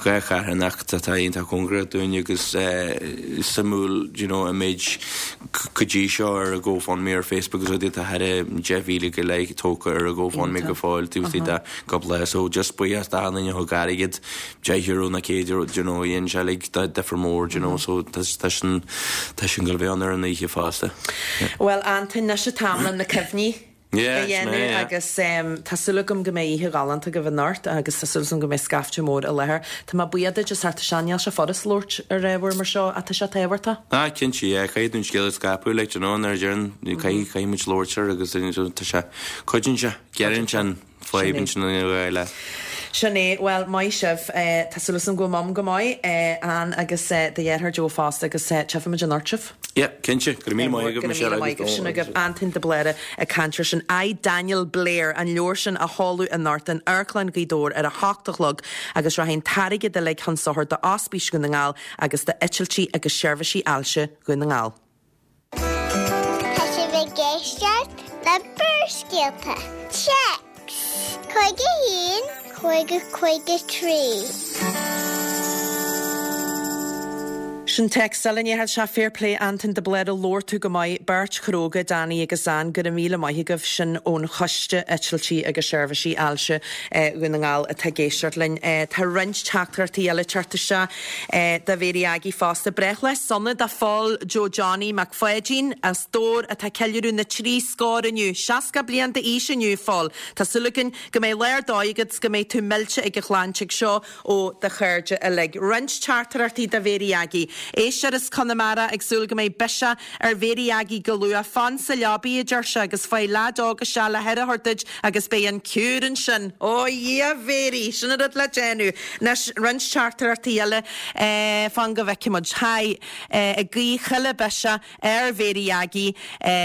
2 charthanacht atá iontach cóngarach dúinn agus suimiúil you know an méid go dtí seo ar a GoFundMe ar Facebook agus rudaí atá thar 10,000 go leith tógtha ar a GoFundMe go fóill taobh istigh de cúpla lá so just buíochas d'achan duine a thug airgead €10 nó €1 you know dhein sé uilig difear mór you know so tá sin tá sin ag goil a bheith ann ar an oíche fosta. Bhuel Antain, anois an t-am le na cuimhní a dhéanamh agus tá súil agam go mbeidh oíche ghalánta agaibh anocht agus tá súil agam go mbeidh scaifte mór i láthair. Tá mé buíoch duit as ucht sé níl sé furast labhairt ar ábhar mar seo ach tá sé tábhachtach. Ah cinnte yeah, caithfidh tú an scéal a scaipeadh like you know nuair a deireann caithfidh caithfidh muid labhairt air agus tá sé cuidíonn sé, gearrann sé an fadhb ansin in aghaidh le. Sin é. Bhuel, maith sibh. Tá súil agam go bhfuil Mum go maith, Ann agus do dheartháir Joe fosta agus tchífimid anocht sibh. Yeah, cinnte. Go raibh míle maith agaibh, Michelle. Go raibh míle maith agaibh. Sin agaibh Antain de Bléara ag caint air sin. I, Daniel Blair, an leabhar sin á sheoladh anocht in Amharclann Ghaoth Dobhair ar a hocht a chlog agus rachaidh an t-airgead uilig chun sochair d'Ospís Dhún na nGall agus d'Eitiltí agus Seirbhísí Ailse Dhún na nGall. Tá sibh ag éisteacht le Barrscéalta. Téacs 51 50 53. Sin téacs eile inniu sea fair play Antain de Bléara labhair tú go maith beirt chróga Danny agus Ann go raibh míle maith agaibh sin ón Choiste Eitiltí agus Seirbhísí Ailse Dhún na nGall atá ag éisteacht linn. Tá roinnt teachtaireachtaí eile ag teacht isteach. Do Mhéirí Aggie fosta. Breithlá sona do Phól Joe Johnny Mac Pháidín as Dobhar atá ag ceiliúradh na dtrí scór inniu. 60 bliain d'aois inniu, a Phóil. Tá súil againn go mbeidh lá ar dóigh agat 's go mbeidh tú millte ag an chlann tigh seo ó do chairde uilig. Roinnt teachtaireachtaí do Mhéirí Aggie. Éisteoir as Conamara ag súil go mbeidh biseach ar Mhéirí Aggie go luath. Fan sa leabaidh, a deir sé, agus faigh leaid óg isteach le haire a thabhairt duit Agus beidh an cure ansin. Ó a Dhia, a Mhéirí! Sin an rud le déanamh. Anois, roinnt teachtaireachtaí eile. Fan go bhfeicfidh muid. Hi. Ag guí chuile biseach ar Mhéirí Aggie.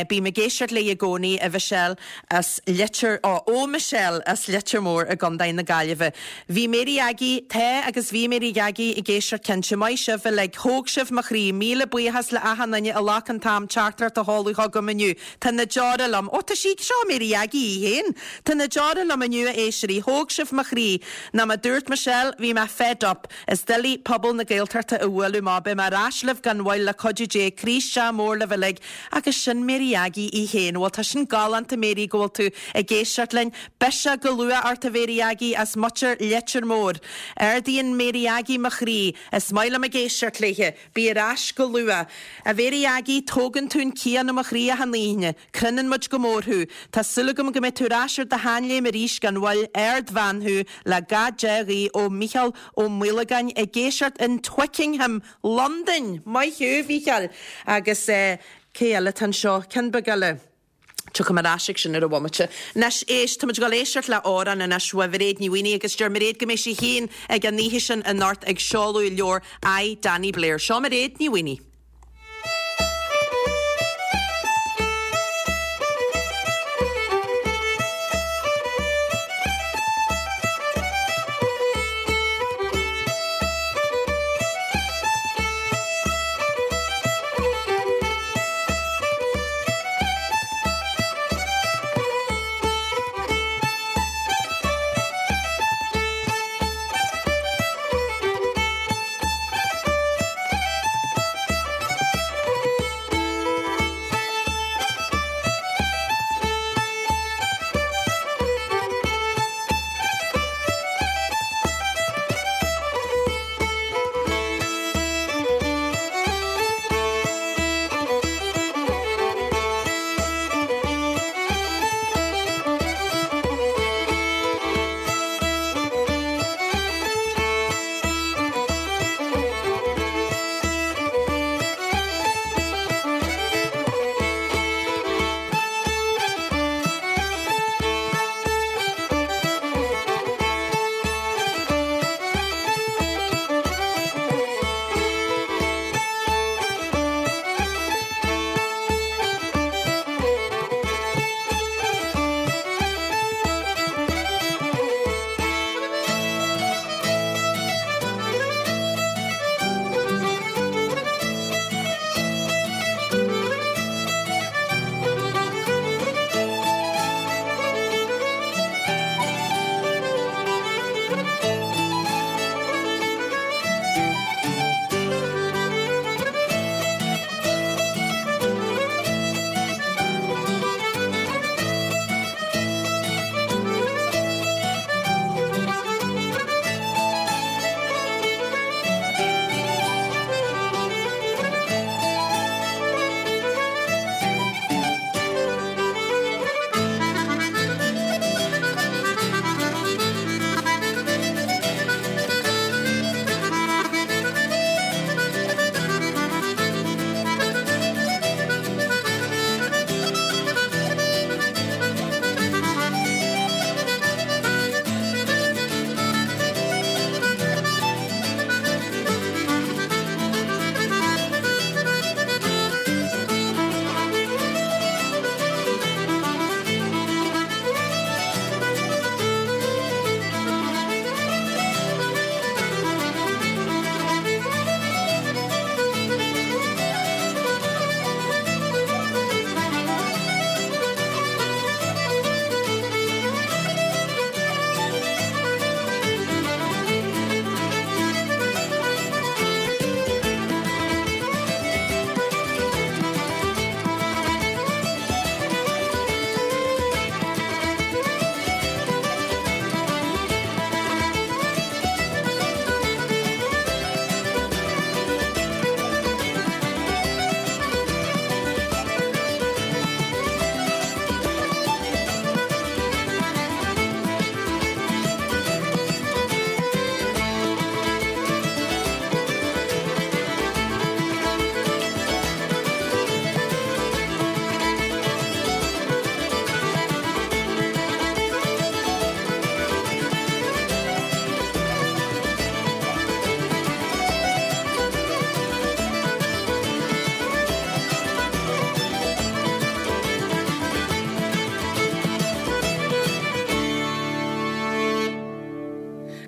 Bím ag éisteacht léi i gcónaí, a Mhichelle as Leitir, ó, ó Michelle as Leitir Móir i gContae na Gaillimhe. Bhí Mary Aggie, tá agus bhí Mary Aggie ag éisteacht cinnte. Maith sibh uilig. Thóg sibh mo chroí. Míle buíochas le achan duine a ghlac an t-am teachtaireacht a sheoladh chugam inniu. Tá na deora liom. Ó, tá sí, seo Mary Aggie í féin. Tá na deora liom inniu, a éisteoirí. Thóg sibh mo chroí. Ná mar a dúirt Michelle, bhí mé fed up. Is doiligh pobal na Gaeltachta a bhualadh má beidh mé ar ais libh gan mhoill le cuidiú Dé. Croí isteach mór libh uilig. Agus sin Mary Aggie í féin. Bhuel, tá sin galánta, Mary, go bhfuil tú ag éisteacht linn. Biseach go luath ort, a Mhary Aggie, as muintir Leitir Móir. Ardaíonn Mary Aggie mo chroí. Is maith liom ag éisteacht léithe. Bí ar ais go luath. A Mhéirí Aggie, tógann tú an cian ó mo chroí achan oíche. Croineann muid go mór thú. Tá súil agam go mbeidh tú ar ais ar do sheanléim arís gan mhoill. Ardbhean thú, le gach dea-ghuí ó Mhícheál Ó Maolagáin ag éisteacht in Twickenham, Londain! Maith thú, a Mhícheáil! Agus cé eile atá anseo? Ceann beag eile. Tiocfaidh mé ar ais ag sin ar an bhomaite. Anois, éist, táimid ag dul éisteacht le amhrán anois uaidh Mhairéad Ní Mhaonaigh agus deir Mairéad go mbeidh sí féin ag an oíche sin anocht ag seoladh leabhar I, Danny Blair. Seo Mairéad Ní Mhaonaigh.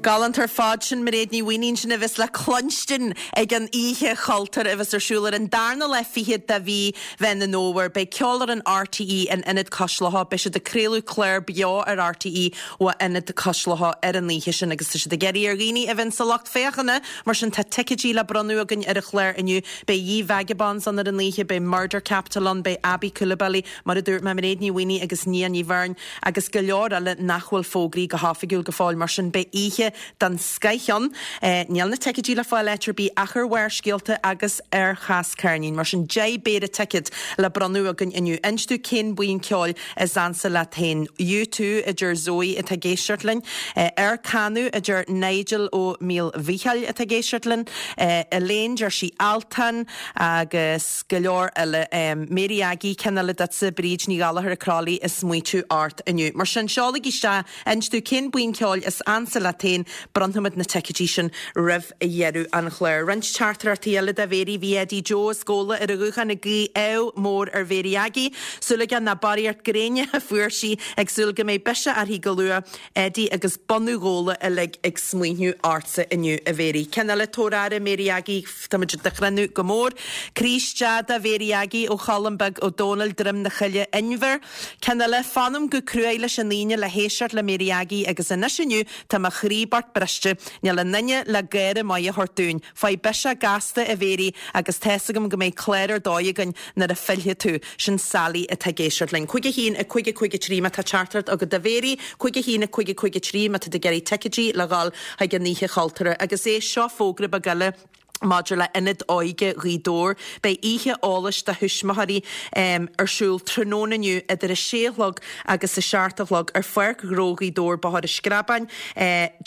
Galánta ar fad sin Mairéad Ní Mhaonaigh sin a bheas le cluinstin ag an Oíche Chultúir a bheas ar siúl ar an darna lá fichead de mhí Mheán an Fhómhair. Beidh Ceolfhoireann RTÉ in Ionad Cois Locha. Beidh siad ag craoladh clár beo ar RTÉ ó Ionad Cois Locha ar an oíche sin agus tá siad ag iarraidh ar dhaoine a bheith sa lucht féachana. Mar sin tá ticéidí le bronnadh againn ar an chlár inniu. Beidh Ye Vagabonds ann ar an oíche, beidh Murder Capital ann, beidh Aby Coulibaly, mar a dúirt mé, Mairéad Ní Mhaonaigh agus Nia Ní Bheirn agus go leor eile nach bhfuil fógraithe go hoifigiúil go fóill. Mar sin beidh oíche den scoith ann. Níl na ticéidí le fáil áit ar bith ach ar Bharrscéalta agus ar Chas Ceirnín. Mar sin 10 bpéire ticéad le bronnadh againn inniu. Inis dúinn cén buíon ceoil is ansa leat féin. U2 a deir Zoe atá ag éisteacht linn. Ar Canadh a deir Nigel ó Míl Mhícheáil atá ag éisteacht linn. Elaine deir sí Altan agus go leor eile. Mary Aggie, ceann eile duitse, Bríd Ní Ghallchóir ag Crolly ag smaoitiú ort inniu. Mar sin, seolaigí isteach, inis dúinn cén buíon ceoil is ansa leat féin, bronnfaimid na ticéidí sin roimh dheireadh an chláir. Roinnt teachtaireachtaí eile do Mhéirí, bhí Eddie Joe as Gabhla ar an ghuthán ag guí ádh mór ar Mhéirí Aggie. Súil aige nach barraíocht gréine a fuair sí, ag súil go mbeidh biseach uirthi go luath. Eddie agus bunadh Ghabhla uilig ag smaoineamh ortsa inniu, a Mhéirí. Ceann eile, tabhair aire, Mary Aggie, táimid do chrinneadh go mór. Croí isteach do Mhéirí Aggie ó Cholm Beag Ó Dónaill, Droim na Coille, Inbhear. Ceann eile, fanaim go cruaidh leis an Aoine le héisteacht le Mary Aggie agus anois inniu tá mo chroí bocht briste, níl aon duine le gáire maith a thabhairt dúinn. Faigh biseach gasta, a Mhéirí, agus tá's agam go mbeidh clár ar dóigh againn nuair a phillfidh tú. Sin Sally atá ag éisteacht linn. 5 1 5 5 3 má tá teachtaireacht agat do Mhéirí, 5 1 5 5 3 má tá tú ag iarraidh ticéidí le dhul chuig an Oíche Chultúrtha. Agus éist, seo fógra beag eile maidir le Ionad Óige Ghaoth Dobhair. Beidh oíche eolais do thuismitheoirí ar siúl tráthnóna inniu idir a sé a chlog agus a seacht a chlog ar Pháirc Ghnó Ghaoth Dobhair, Bóthar an Screabáin.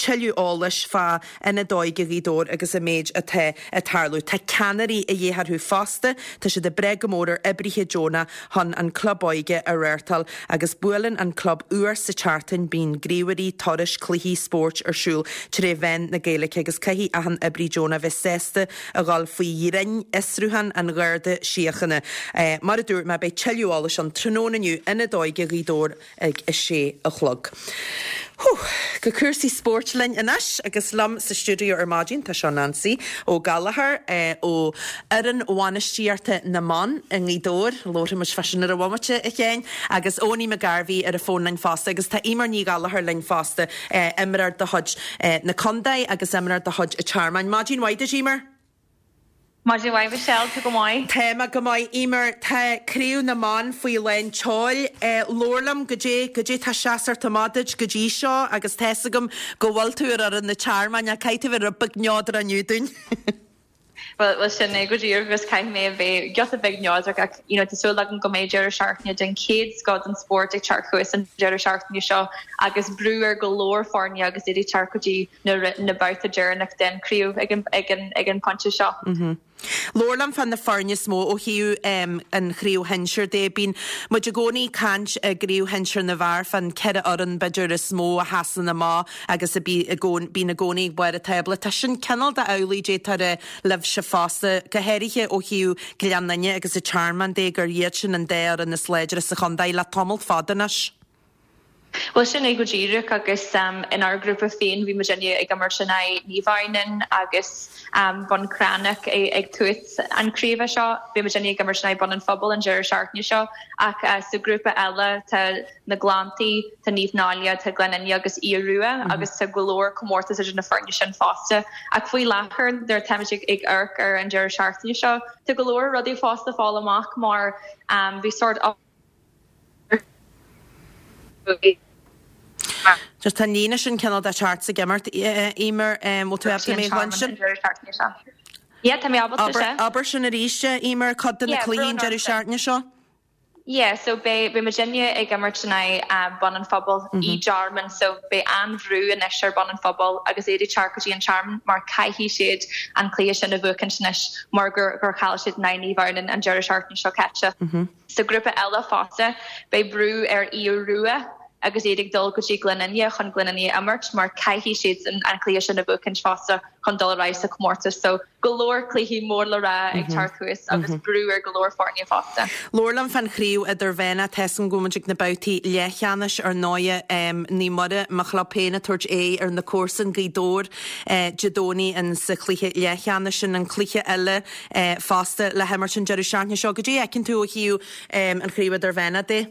Tuilleadh eolais fá Ionad Óige Ghaoth Dobhair agus an méid atá ag tarlú. Tá ceannairí a dhíth orthu fosta. Tá siad ag brath go mór ar oibrithe deonacha chun an Club Óige a reáchtáil agus buaileann an club uair sa tseachtain. Bíonn gníomhairí, turais, cluichí spóirt ar siúl tré mheán na Gaeilge agus caithfidh achan oibrí deonach bheith sásta a dhul faoi dhroim fhiosrúchán an Gharda Síochána. Mar a dúirt mé, beidh tuilleadh eolais ann tráthnóna inniu, Ionad Óige Ghaoth Dobhair. ag a sé a chlog. Hú! Go cúrsaí spóirt linn anois agus liom sa stiúideo ar maidin tá seo Nancy Ó Gallchóir ó fhoireann bhainistíochta na mban i nGaoth Dobhair, labharfaidh muid fá sin ar an bhomaite a Sheáin, agus Owenie McGarvey ar an bhfón linn fosta agus tá Eimear Ní Ghallchóir linn fosta, imreoir de chuid na contae agus imreoir de chuid an Tearmainn. Maidin mhaith duit Eimear! Maidin mhaith Michelle, tú go maith? Tá mé go maith Eimear, tá Craobh na mBan faoi lán tseoil. Labhair liom, goidé, goidé tá seasamh amach duit go dtí seo agus tá's agam go bhfuil tú ar fhoireann na Tearmainn ach caithfidh tú bheith rud beag neodrach inniu dúinn. Bhuel, bhuel sin é go díreach agus caithfidh mé a bheith giota beag neodrach ach you know tá súil agam go mbeidh deireadh seachtaine den chéad scoth den spórt ag teacht chugainn an deireadh seachtaine seo agus brú ar go leor foirne agus iad ag teacht go dtí na na babhta deireanach den chraobh ag an ag an ag an pointe seo. Labhair liom fá na foirne is mó ó thaobh an chraobh shinsir de. Bíonn muid i gcónaí ag caint i gcraobh shinsir na bhfear fán ceithre fhoireann b'fhéidir is mó a sheasann amach agus a bí i bíonn i gcónaí ag barr an tábla. Tá sin cineál de amhlaidh d'fhéadfá a rá libhse fosta, go háirithe ó thaobh Gleann Fhinne agus an Tearmann de gur iad sin an dá fhoireann is láidre sa chontae le tamall fada anois. Bhuel, sin é go díreach agus inár ngrúpa féin bhí muidinne ag imirt in aghaidh Naomh Adhamhnáin agus Bun Cranncha ag tús an chraoibhe seo. Bhí muidinne ag imirt in aghaidh Bun an Phobail an deireadh seachtaine seo ach sa ghrúpa eile tá na Gleanntaí, tá Naomh Náille, tá Gleann Fhinne agus Aodh Rua agus tá go leor comórtas idir na foirne sin fosta. Ach faoi láthair nuair atáimid ag amharc ar an deireadh seachtaine seo tá go leor rudaí fós le fáil amach mar bhí sórt Just tá an líne sin cineál de teacht ag imeacht, Eimear, bhfuil tú ábalta mé a chluinstin? Yeah, tá mé ábalta, sea. Abair sin arís, Eimear, cuid de na cluichí an deireadh seachtaine seo. Yeah, so beidh beidh muidinne ag imirt in aghaidh Bun an Phobail i dTearmann, so beidh an-bhrú anois ar Bun an Phobail agus iad ag teacht go dtí an Tearmann mar caithfidh siad an cluiche sin a bhuachaint anois mar gur gur chaill siad in aghaidh Naomh Adhamhnáin an deireadh seachtaine seo caite. Sa ghrúpa eile fosta, beidh brú ar Aodh Rua. agus iad ag dul go dtí Gleann Fhinne chun Gleann Fhinne a imirt mar caithfidh siadsan an cluiche sin a bhuachaint fosta chun dul ar aghaidh sa chomórtas. So go leor cluichí mór le rá ag teacht thuas agus brú ar go leor foirne fosta. Labhair liom fán chraobh idirmheánach, tá 'fhios agam go bhfuil muid ag na babhtaí leathcheannais ar ndóighe. Naomh Muire, mo chlub féin, ag tabhairt aghaidh ar na comharsain, Gaoth Dobhair, Dé Domhnaigh in sa chluiche leathcheannais sin, an cluiche eile fosta le himirt an deireadh seachtaine seo. Goidé a fheiceann tú ó thaobh an chraobh idirmheánach de?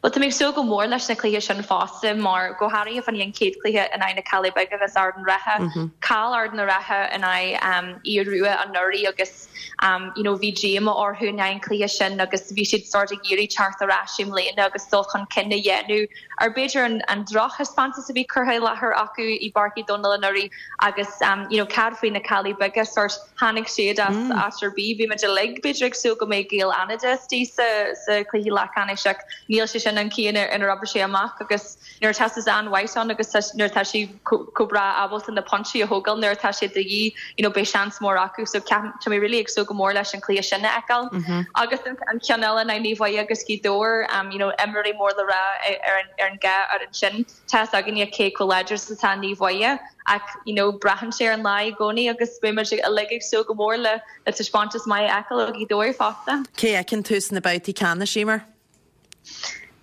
Bhuel, tá mé ag súil go mór leis na cluichí sin fosta mar, go háirithe fá choinne an chéad chluiche in aghaidh na Caillí Beaga agus Ard an Rátha. Chaill Ard an Rátha in aghaidh Aodh Rua anuraidh agus you know bhí díomá orthu i ndiaidh an chluiche sin agus bhí siad sort ag iarraidh teacht ar ais i mbliana agus dul chun cinn a dhéanamh ar b'fhéidir an an drochthaispeántas a bhí curtha i láthair acu i bPáirc Uí Dhónaill anuraidh agus you know cad faoi na Caillí Beaga sort tháinig siad as áit ar bith. Bhí muid uilig b'fhéidir ag súil go mbeadh Gaeil Fhánada istigh sa sa chluiche leathcheannais ach níl sé sin an chaoi inar oibrigh sé amach agus nuair atá Suzanne White ann agus nuair atá sí chomh breá ábalta na pointí a thógáil nuair atá sé de dhíth you know beidh seans mór acu so ceapaim tá mé really ag súil go mór leis an chluiche sin a fheiceáil. Agus an ceann eile in aghaidh Naomh Muire agus Gaoth Dobhair um you know imreoirí mór le rá ar an ar an dhá fhoireann sin. Tá 'fhios againne cé chomh láidir is atá Naomh Muire ach you know braitheann sé ar an lá i gcónaí agus beidh muid uilig ag súil go mór le le taispeántas maith a fheiceáil ó Ghaoth Dobhair fosta. Cé a fheiceann tú sna babhtaí ceannais, Eimear?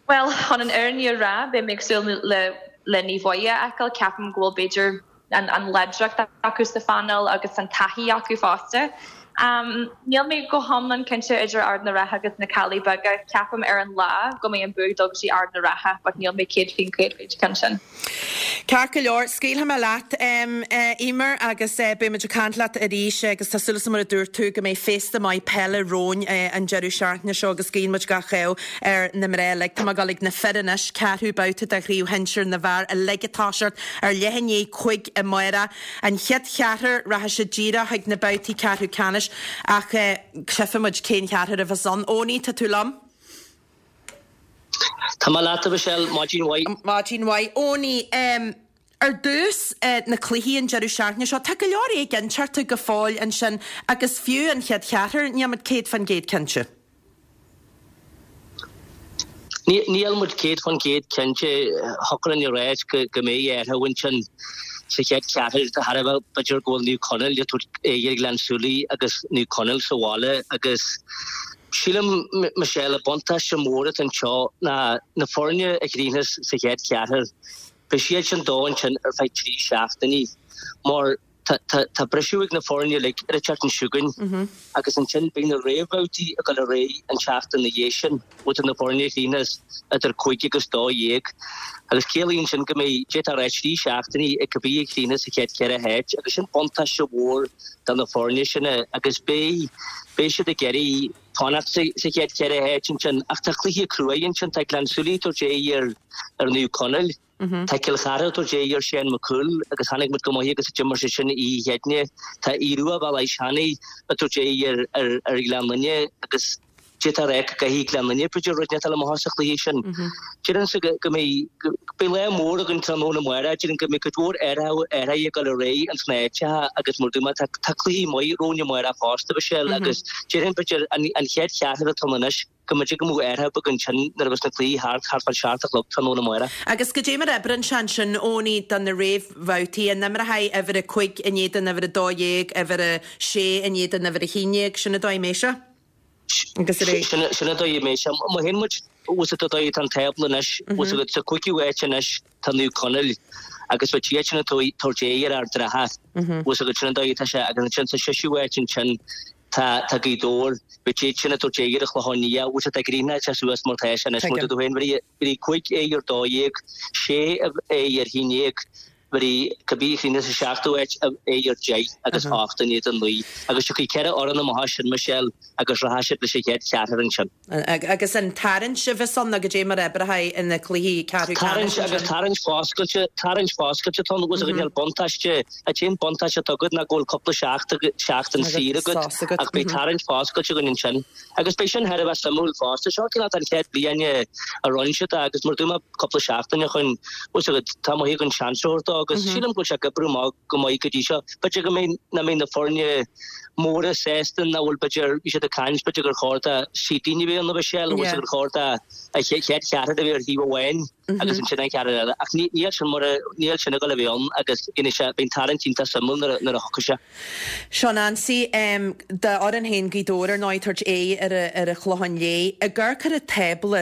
Bhuel, chun an fhírinne a rá, beidh mé ag súil le le Naomh Muire a fheiceáil. Ceapaim go bhfuil b'fhéidir an an láidreacht acu sa phainéal agus an taithí acu fosta. Níl mé go hiomlán cinnte idir Ard na Rátha agus na Caillí Beaga. Ceapaim ar an lá go mbeidh an bua ag dul go dtí Ard na Rátha but níl mé 100% faoin cheann sin. Ceart go leor, scaoilfidh mé leat, Eimear, agus beidh muid ag caint leat arís agus tá súil agam mar a dúirt tú go mbeidh féasta maith peile romhainn an deireadh seachtaine seo agus guíonn muid gach ádh ar na mná uilig. Tá mé ag dul ag na fir anois, ceathrú babhta de chraobh shinsir na bhfear uilig ag toiseacht ar leath i ndiaidh 5 amárach. An chéad cheathrar, rachaidh siad díreach chuig na babhtaí ceathrú ceannais ach tchífidh muid cén cheathrar a bheas ann. Owenie, tá tú liom? Tá mé leat, a Mhichelle. Maidin mhaith. Maidin mhaith. Owenie, ar dtús, na cluichí an deireadh seachtaine seo, tá go leor éiginnteachta go fóill ansin agus fiú an chéad cheathrar, níl muid 100% cinnte. Níl muid 100% cinnte. Thiocfadh linn a ráit go mbeidh athrú ansin sa chéad cheathrar de thairbhe b'fhéidir go bhfuil Naomh Conaill ag tabhairt aghaidh ar Ghleann tSúilí agus Naomh Conaill sa bhaile agus sílim, Michelle, an buntáiste mór atá anseo ná na foirne a chríochnas sa chéad cheathrar, beidh siad sin dó ansin ar feadh 3 seachtainí mar Tá briseadh ag na foirne uilig ar an tseachtain seo chugainn agus ansin beidh na réamhbhabhtaí ag dul ar aghaidh an tseachtain ina dhiaidh sin, idir na foirne a chríochnas idir 5 agus 12 agus ciallaíonn sin go mbeidh, d'fhéadfá a rá, 3 seachtainí ag cibé a chríochnas sa chéad cheithre háit agus sin buntáiste mhór do na foirne sin agus beidh, beidh siad ag iarraidh fanacht sa chéad cheithre háit ansin ach tá cluiche cruaidh ansin, tá Gleann tSúilí ag tabhairt aghaidh ar Naomh Conaill. Tá Cill Chartha ag tabhairt aghaidh ar Shane Mac Cumhaill agus chonaic muid go maith agus a d'imir sé sin oíche Chéadaoine. Tá Aodh Rua Bhéal Átha Seanaidh ag tabhairt aghaidh ar Ghleann Fhinne agus d'fhéadfá a rá go gcaithfidh Gleann Fhinne b'fhéidir rud inteacht a fháil amach sa chluiche sin. Déarfainnse go mbeidh beidh lá mór againn tráthnóna amárach. Déarfainn go mbeidh cuid mhór athruithe ag dul ar aghaidh ins na háiteacha agus mar a dúirt mé tá cluichí maith romhainn amárach fosta Michelle agus déarfainn b'fhéidir an chéad cheathrar atá ann anois go mb'fhéidir go mbeadh athrú beag ansin nuair a bheas na cluichí thart, thart fán seacht a chlog tráthnóna amárach. Agus goidé mar a oibríonn sé ansin, Owenie, do na réamhbhabhtaí, an imreochaidh uimhir a 5 in éadan uimhir a 12, uimhir a 6 in éadan uimhir a 11, sin an dóigh a mbeidh sé? Agus ar aghaidh. Sin an dóigh a mbeidh sé. Má théann muid, bhfuil fhios agat an dóigh atá an tábla anois, bhfuil fhios agat, sa chúigiú háit anois tá Naomh Conaill agus beidh siad sin ag tabhairt aghaidh ar Ard an Rátha, bhfuil fhios agat, sin an dóigh atá sé agus ansin sa seisiú háit ansin Tá, tá Gaoth Dobhair, beidh siad sin ag tabhairt aghaidh ar an Chlochán Liath, bhfuil fhios agat tá ag críochnú suas mar tá sé anois, mar a dúirt tú féin, bheir 5 aghaidh ar 12, 6 aghaidh ar 11, bheir cibé a chríochnas sa seachtú háit aghaidh ar 10 agus 8 in éadan 9. Agus tiocfaidh 4 fhoireann amach as sin, Michelle, agus rachaidh siad leis an chéad cheathrar ansin. Agus an tarraingt a bheas ann nó goidé mar a oibreoidh na cluichí ceathrú ceannais ansin? Tarraingt agus tarraingt foscailte, tarraingt foscailte atá ann agus níl buntáiste, an t-aon buntáiste atá agat ná go bhfuil cúpla seachtain saor agat ach beidh tarraingt foscailte againn ansin. Agus beidh sin thar a bheith suimiúil fosta. Seo cineál an chéad bhliain a rinne siad é agus mar a dúirt mé cúpla seachtain ó shin, bhfuil fhios agat, tá maith againn seans a thabhairt dó. agus sílim go bhfuil sé ag oibriú amach go maith go dtí seo. B'fhéidir go mbeidh, nach mbeidh na foirne móra sásta nach bhfuil b'fhéidir, bhí siad ag caint b'fhéidir gur chóir do City a bheith ann a Mhichelle, agus gur chóir do an chéad cheathrar a bheith ar thaobh amháin agus ansin an cheathrar eile. Ach níl sin mar a, níl sin ag dul a bheith ann agus dhéanfaidh sé, beidh an tarraingt iontach suimiúil nuair a, nuair a thiocfaidh sé. Seán Anstey, d'fhoireann féin Gaoth Dobhair ar ndóigh ag tabhairt aghaidh ar ar an Chlochán Liath. Ag amharc ar an tábla,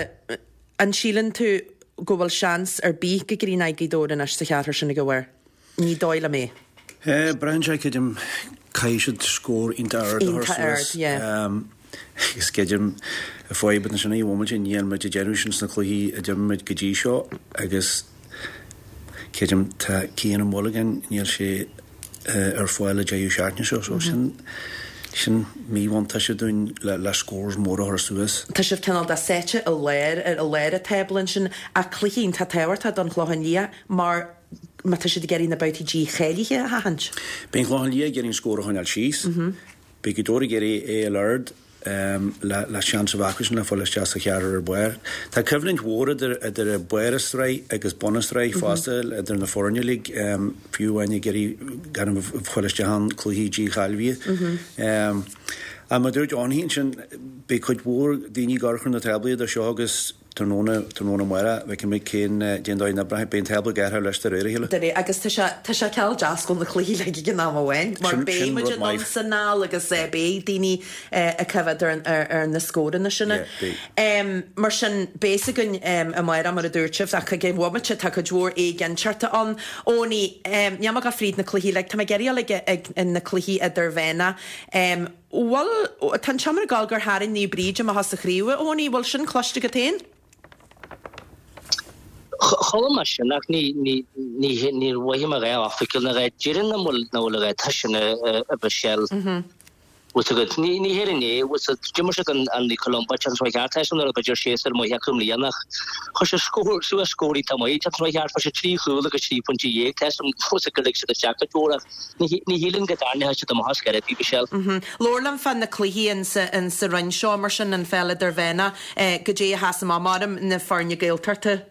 an síleann tú go bhfuil seans ar bith go gcríochnóidh Gaoth Dobhair anois sa cheathrar sin ag a bharr? Ní dóigh liom é. Braitheann sé, creidim, caithfidh siad scór iontach ard a chur Iontach ard, suas. yeah. Agus creidim, fadhb ansin í bhfuil muid, níl muid ag déanamh sin sna cluichí a d'imir muid go dtí seo agus creidim tá Cian Ó Muilleagáin, níl sé ar fáil an deireadh seachtaine seo so sin sin míbhuntáiste dúinn le le scores móra a chur suas. Tá sibh cineál de sáite i lár i lár an tábla ansin ach cluiche iontach tábhachtach don Chlochán Liath mar má tá siad ag iarraidh na babhtaí dícháilithe a sheachaint. Beidh an Clochán Liath ag iarraidh an scór a choinneáil síos. Beidh Gaoth Dobhair ag iarraidh é a fháil ard le seans a bheith acusan le fáil isteach sa cheathrar ar barr. Tá coimhlint mhór idir idir barr an sraith agus bun an sraith fosta idir na foirne uilig, fiú amháin ag iarraidh gan a fáil isteach ann cluichí dícháilithe. Ach mar a dúirt Eoin ansin, beidh cuid mhór daoine ag amharc ar na táblaí idir seo agus Tráthnóna, tráthnóna amárach, feicfimid cén, cén dóigh a n-oibreoidh, beidh an tábla ag athrú leis de réir a chéile. De réir, agus tá sé, tá sé cineál deas go bhfuil na cluichí uilig ag an am amháin, mar Sin, beidh sin muid rud anonn maith. 's anall agus beidh daoine ag coimhéad ar, ar, ar na scóranna sin. Yeah, beidh. Mar sin, beidh a fhios againn amárach, mar a dúirt sibh, ach ag an bhomaite tá cuid mhór éiginnteachta ann. Eoiní, níl mé ag dul fríd na cluichí uilig, tá mé ag iarraidh dul ag, ag na cluichí idirmheánach. Bhuel, tá an seomra ag gabháil gur tharraing Naomh Bríd amach as an chraobh, a Eoiní, bhfuil sin cloiste agat féin? Chuala mé sin ach ní, ní, ní, níor mhothaigh mé a dhath oifigiúil ná a dhath. Déarfainn nach bhfuil, nach bhfuil a dhath, tá sin a, a Mhichelle. Bhfuil 's agat, ní, ní héireann é, bhfuil 's agat, d'imir siad an, an Naomh Columba, an tseachtain seo chuaigh thart, tá sin nuair a b'fhéidir séasúr maith acu i mbliana ach chuir siad scór, suas scór iontach maith, an tseachtain seo chuaigh thart, fuair siad 3 chúl agus 3 phointe dhéag, tá sin, bhfuil 's agat gur lig siad isteach cuid mhór ach Ní shílim go dtarraingeoidh siad amach as ar chor ar bith, Michelle. Labhair liom fá na cluichí insa roinn seo, mar sin, an pheil idirmheánach, goidé a sheas amach, maram na foirne Gaeltachta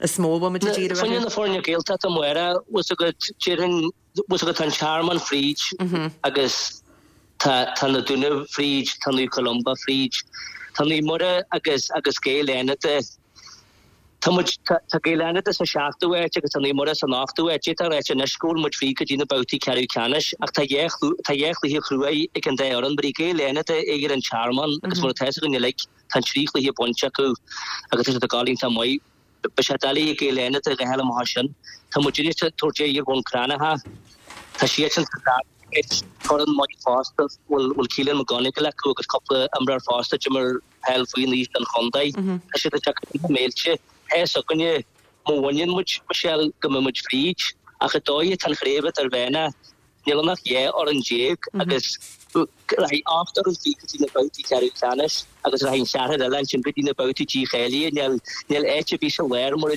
is mó a bhfuil muid ag díriú orthu. Foirne na foirne Gaeltachta, Máire, bhfuil 's agat, déarfainn, bhfuil 's agat, tá an Tearmann fríd agus tá tá na Dúnaibh fríd, tá Naomh Columba fríd, tá Naomh Muire agus agus Gaeil Fhánada. Tá muid, tá Gaeil Fhánada sa seachtú háit agus tá Naomh Muire san ochtú háit. D'fhéadfá a ráit anois go bhfuil muid fríd go dtí na babhtaí ceathrú ceannais ach tá dhá, tá dhá chluiche chruaidh ag an dá fhoireann. Tabharfaidh Gaeil Fhánada aghaidh ar an Tearmann agus mar atá fhios againn uilig, tá an trí chluiche bainte acu agus tá siad ag gabháil iontach maith. Beidh sé doiligh ag Gaeil Fhánada a ghabháil amach as sin. Tá muid anois ag tabhairt aghaidh ar Bhun Cranncha. Tá siadsan sa dara háit. Foireann maith fosta, bhfuil, bhfuil Keelan McGonigal acu agus cúpla imreoir fosta a d'imir peil faoin aois don chontae. Tá siad ag teacht na mílte. Tá fhios againne, má bhaineann muid, Michelle, go mbeidh muid fríd, ach an dóigh atá an chraobh idirmheánach, níl ann ach 12 fhoireann agus rachaidh 8 fhoireann fríd go dtí na babhtaí ceathrú ceannais agus rachaidh an cheathrar eile ansin go dtí na babhtaí dícháilithe. Níl níl áit ar bith sa lár mar a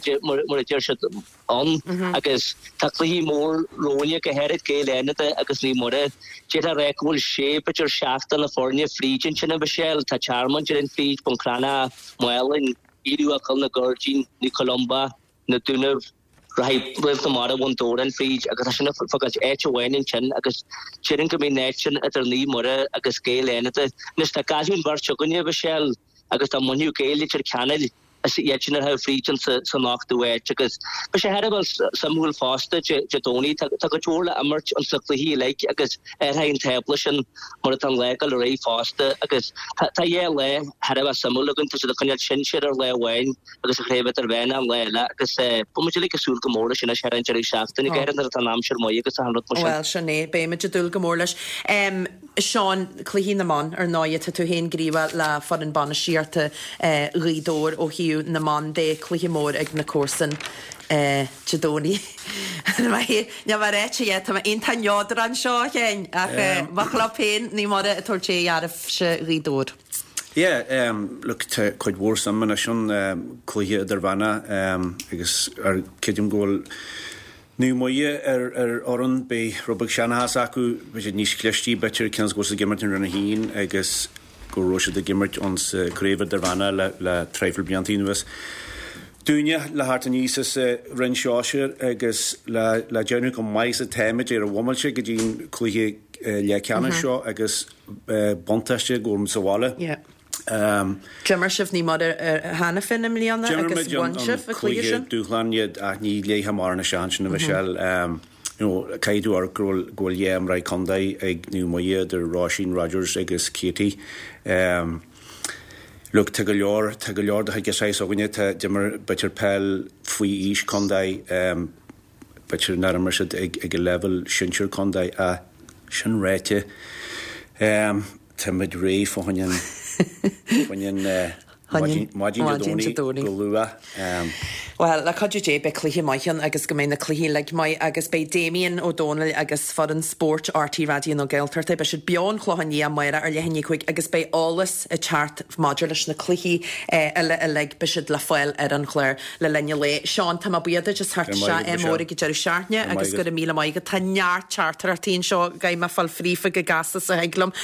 deir siad. ann agus tá cluichí mór romhainne, go háirid Gaeil Fhánada agus Naomh Muire. D'fhéadfá a rá go bhfuil sé, b'fhéidir seacht de na foirne fríd ansin, a Mhichelle. Tá Tearmann déarfainn fríd, Bun Cranncha, Málainn, Aodh Rua Coill na Gairdín, Naomh Columba, Na Dúnaibh, rachaidh Réalt na Mara Bhun Dobhráin fríd agus tá sin ag fágáilt áit amháin ansin agus déarfainn go mbeidh an áit sin idir Naomh Muire agus Gaeil Fhánada. Anois dá gcaillfeadh an bheirt againne, a Mhichelle, agus dá mbainfeadh Gaeil Leitir Ceanainn, is iad sin a rachaidh fríd san ochtú háit agus beidh sé thar a bheith suimiúil fosta Dé Domhnaigh. Tá cuid mhór le imirt ins na cluichí uilig agus athróidh an tábla sin mar atá an lá ag dul ar aghaidh fosta agus tá dhá lá thar a bheith suimiúil againn. Tá siad ag coinneáil sinsir ar lá amháin agus an chraobh idirmheánach an lá eile agus beidh muid uilig ag súil go mór leis anois thar an deireadh seachtaine, go háirithe nuair atá an aimsir maith agus achan rud mar sin. Bhuel, sin é. Beidh muid ag dúil go mór leis. Seán, Cluichí na mban, ar ndóighe, tá tú féin gníomhach le foireann bainistíochta Ghaoth Dobhair ó thaobh na mban de, cluiche mór ag na comharsain Dé Domhnaigh. Níl mé ráite yet, tá mé iontach neodrach anseo, a Sheáin, ach mo chlub féin, Naomh Muire ag tabhairt aghaidh oraibhse Ghaoth Dobhair. Yeah, look, tá cuid mhór suim anois ann, cluiche idirmheánach agus creidim go bhfuil Naomh Muire ar fhoireann, beidh rud beag seanchas acu, beidh siad níos clistí b'fhéidir, cionn is go bhfuil siad ag imirt in Roinn 1 agus go raibh siad ag imirt ins an Craobh Idirmheánach le le traidhfil blianta anuas. Dúinne le theacht aníos as an Roinn Sóisir agus le déanamh chomh maith is atáimid ar an bhomaite go dtí an cluiche leathcheannais seo agus buntáiste go bhfuil muid sa bhaile. D'imir sibh Naomh Muire cheana féin i mbliana agus bhain sibh an cluiche sin. Dúshlán iad ach ní léifeadh mórán a seans sin a Mhichelle. You know, caithfidh tú amharc go bhfuil go bhfuil dhá imreoir contae ag Naomh Muire idir Róisín Rogers agus Katie. Look, tá go leor, tá go leor de chuid an saghas againne, tá, d'imir b'fhéidir peil faoi aois contae, b'fhéidir nár imir siad ag, ag an leibhéal sinsir contae ach sin ráite, táimid réidh fá choinne an, fá choinne an, Maidin Dé Domhnaigh go luath. Bhuel, le cuidiú Dé, beidh cluiche maith ann agus go mbeidh na cluichí uilig maith agus beidh Damien Ó Dónaill agus foireann spóirt RTÉ Raidió na Gaeltachta, beidh siad beo ón Chlochán Liath amárach ar leath i ndiaidh 5 agus beidh eolas ag teacht maidir leis na cluichí eile uilig, beidh siad le fáil ar an chlár le linn an lae. Seán, tá mé buíoch duit as theacht isteach, ádh mór ag an deireadh seachtaine agus go raibh míle maith agat. Tá neart teachtaireachtaí anseo, caithfidh mé fáil fríofa go gasta is a thig liom.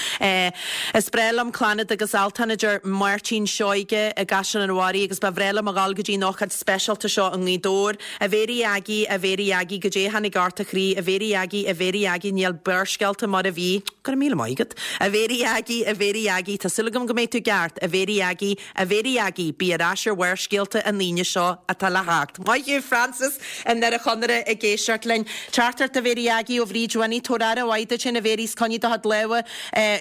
Is breá liom Clannad agus Altan, a deir Máirtín Seoige i gCaiseal an Bharraigh agus ba bhreá liom a dhul go dtí an ócáid speisialta seo i nGaoth Dobhair. A Mhéirí Aggie, a Mhéirí Aggie, goidé a tháinig ort a chroí, a Mhéirí Aggie, a Mhéirí Aggie, níl Barrscéalta mar a bhí. Go raibh míle maith agat. A Mhéirí Aggie, a Mhéirí Aggie, tá súil agam go mbeidh tú i gceart, a Mhéirí Aggie, A Mhéirí Aggie, bí ar ais ar Bharrscéalta an Aoine seo atá le theacht. Maith thú, Frances i nDoire Chonaire ag éisteacht linn. Teachtaireacht a Mhéirí Aggie ó Bhríd Winnie, Tabhair aire mhaith duit féin a Mhéirí 's coinnigh do chuid lámha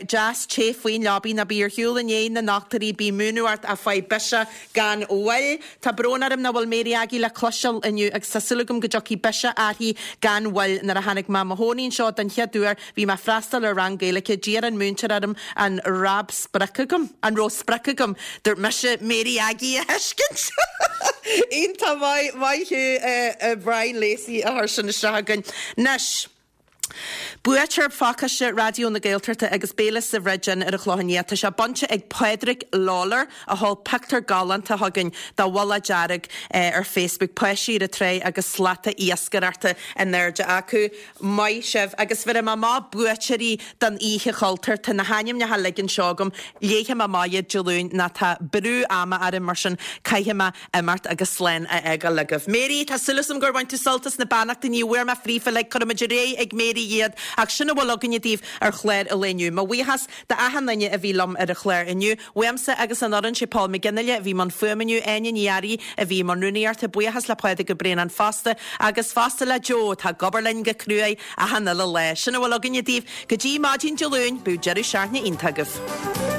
deas te faoin leabaidh. Ná bí ar shiúl i ndiaidh na ndochtúirí, bí múineadh ort ach faigh biseach gan mhoill. Tá brón orm nach bhfuil Mary Aggie le cloisteáil inniu agus tá súil agam go dtiocfaidh biseach uirthi gan mhoill. Nuair a tháinig mé i mo chónaí anseo don chéad uair Bhí mé ag freastal ar rang Gaeilge, d'iarr an múinteoir orm an rab sprioc agam, an raibh sprioc agam? Dúirt mise Mary Aggie a thuiscint! Iontach maith, maith thú a Brian Lacey a chuir sin isteach againn. Anois, buaiteoir phacáiste Raidió na Gaeltachta agus béile sa Bhridge Inn ar an Chlochán Liath, tá sé bainte ag Pádraig Lawlor a sheol pictiúr galánta chugainn de bhulla dearg ar Facebook, páistí ar an tráigh agus slata iascaireachta in airde acu. Maith sibh. Agus bhéarfaidh mé amach buaiteoirí don Oíche Chultúir. Tá na hainmneacha uilig anseo agam. Léifidh mé amach iad Dé Luain nó tá brú ama orm mar sin caithfidh mé imeacht agus slán a fhágáil agaibh. Mary, tá súil agam gur bhain tú sult as na beannachtaí. Ní bhfuair mé fríofa uilig, cuirfidh muid ar aghaidh ag Mary iad ach sin a bhfuil againne daoibh ar chlár an lae inniu. Mo bhuíochas d'achan duine a bhí liom ar an chlár inniu. Uaimse agus an fhoireann, sé Paul McGinley a bhí i mbun fuaime inniu, Áine Ní Fhearraigh a bhí i mbun rúnaíochta, buíochas le Pádraig Ó Braonáin fosta, agus fosta le Joe atá ag obair linn go cruaidh achan uile lá. Sin a bhfuil againne daoibh go dtí maidin Dé Luain, bíodh deireadh seachtaine iontach agaibh.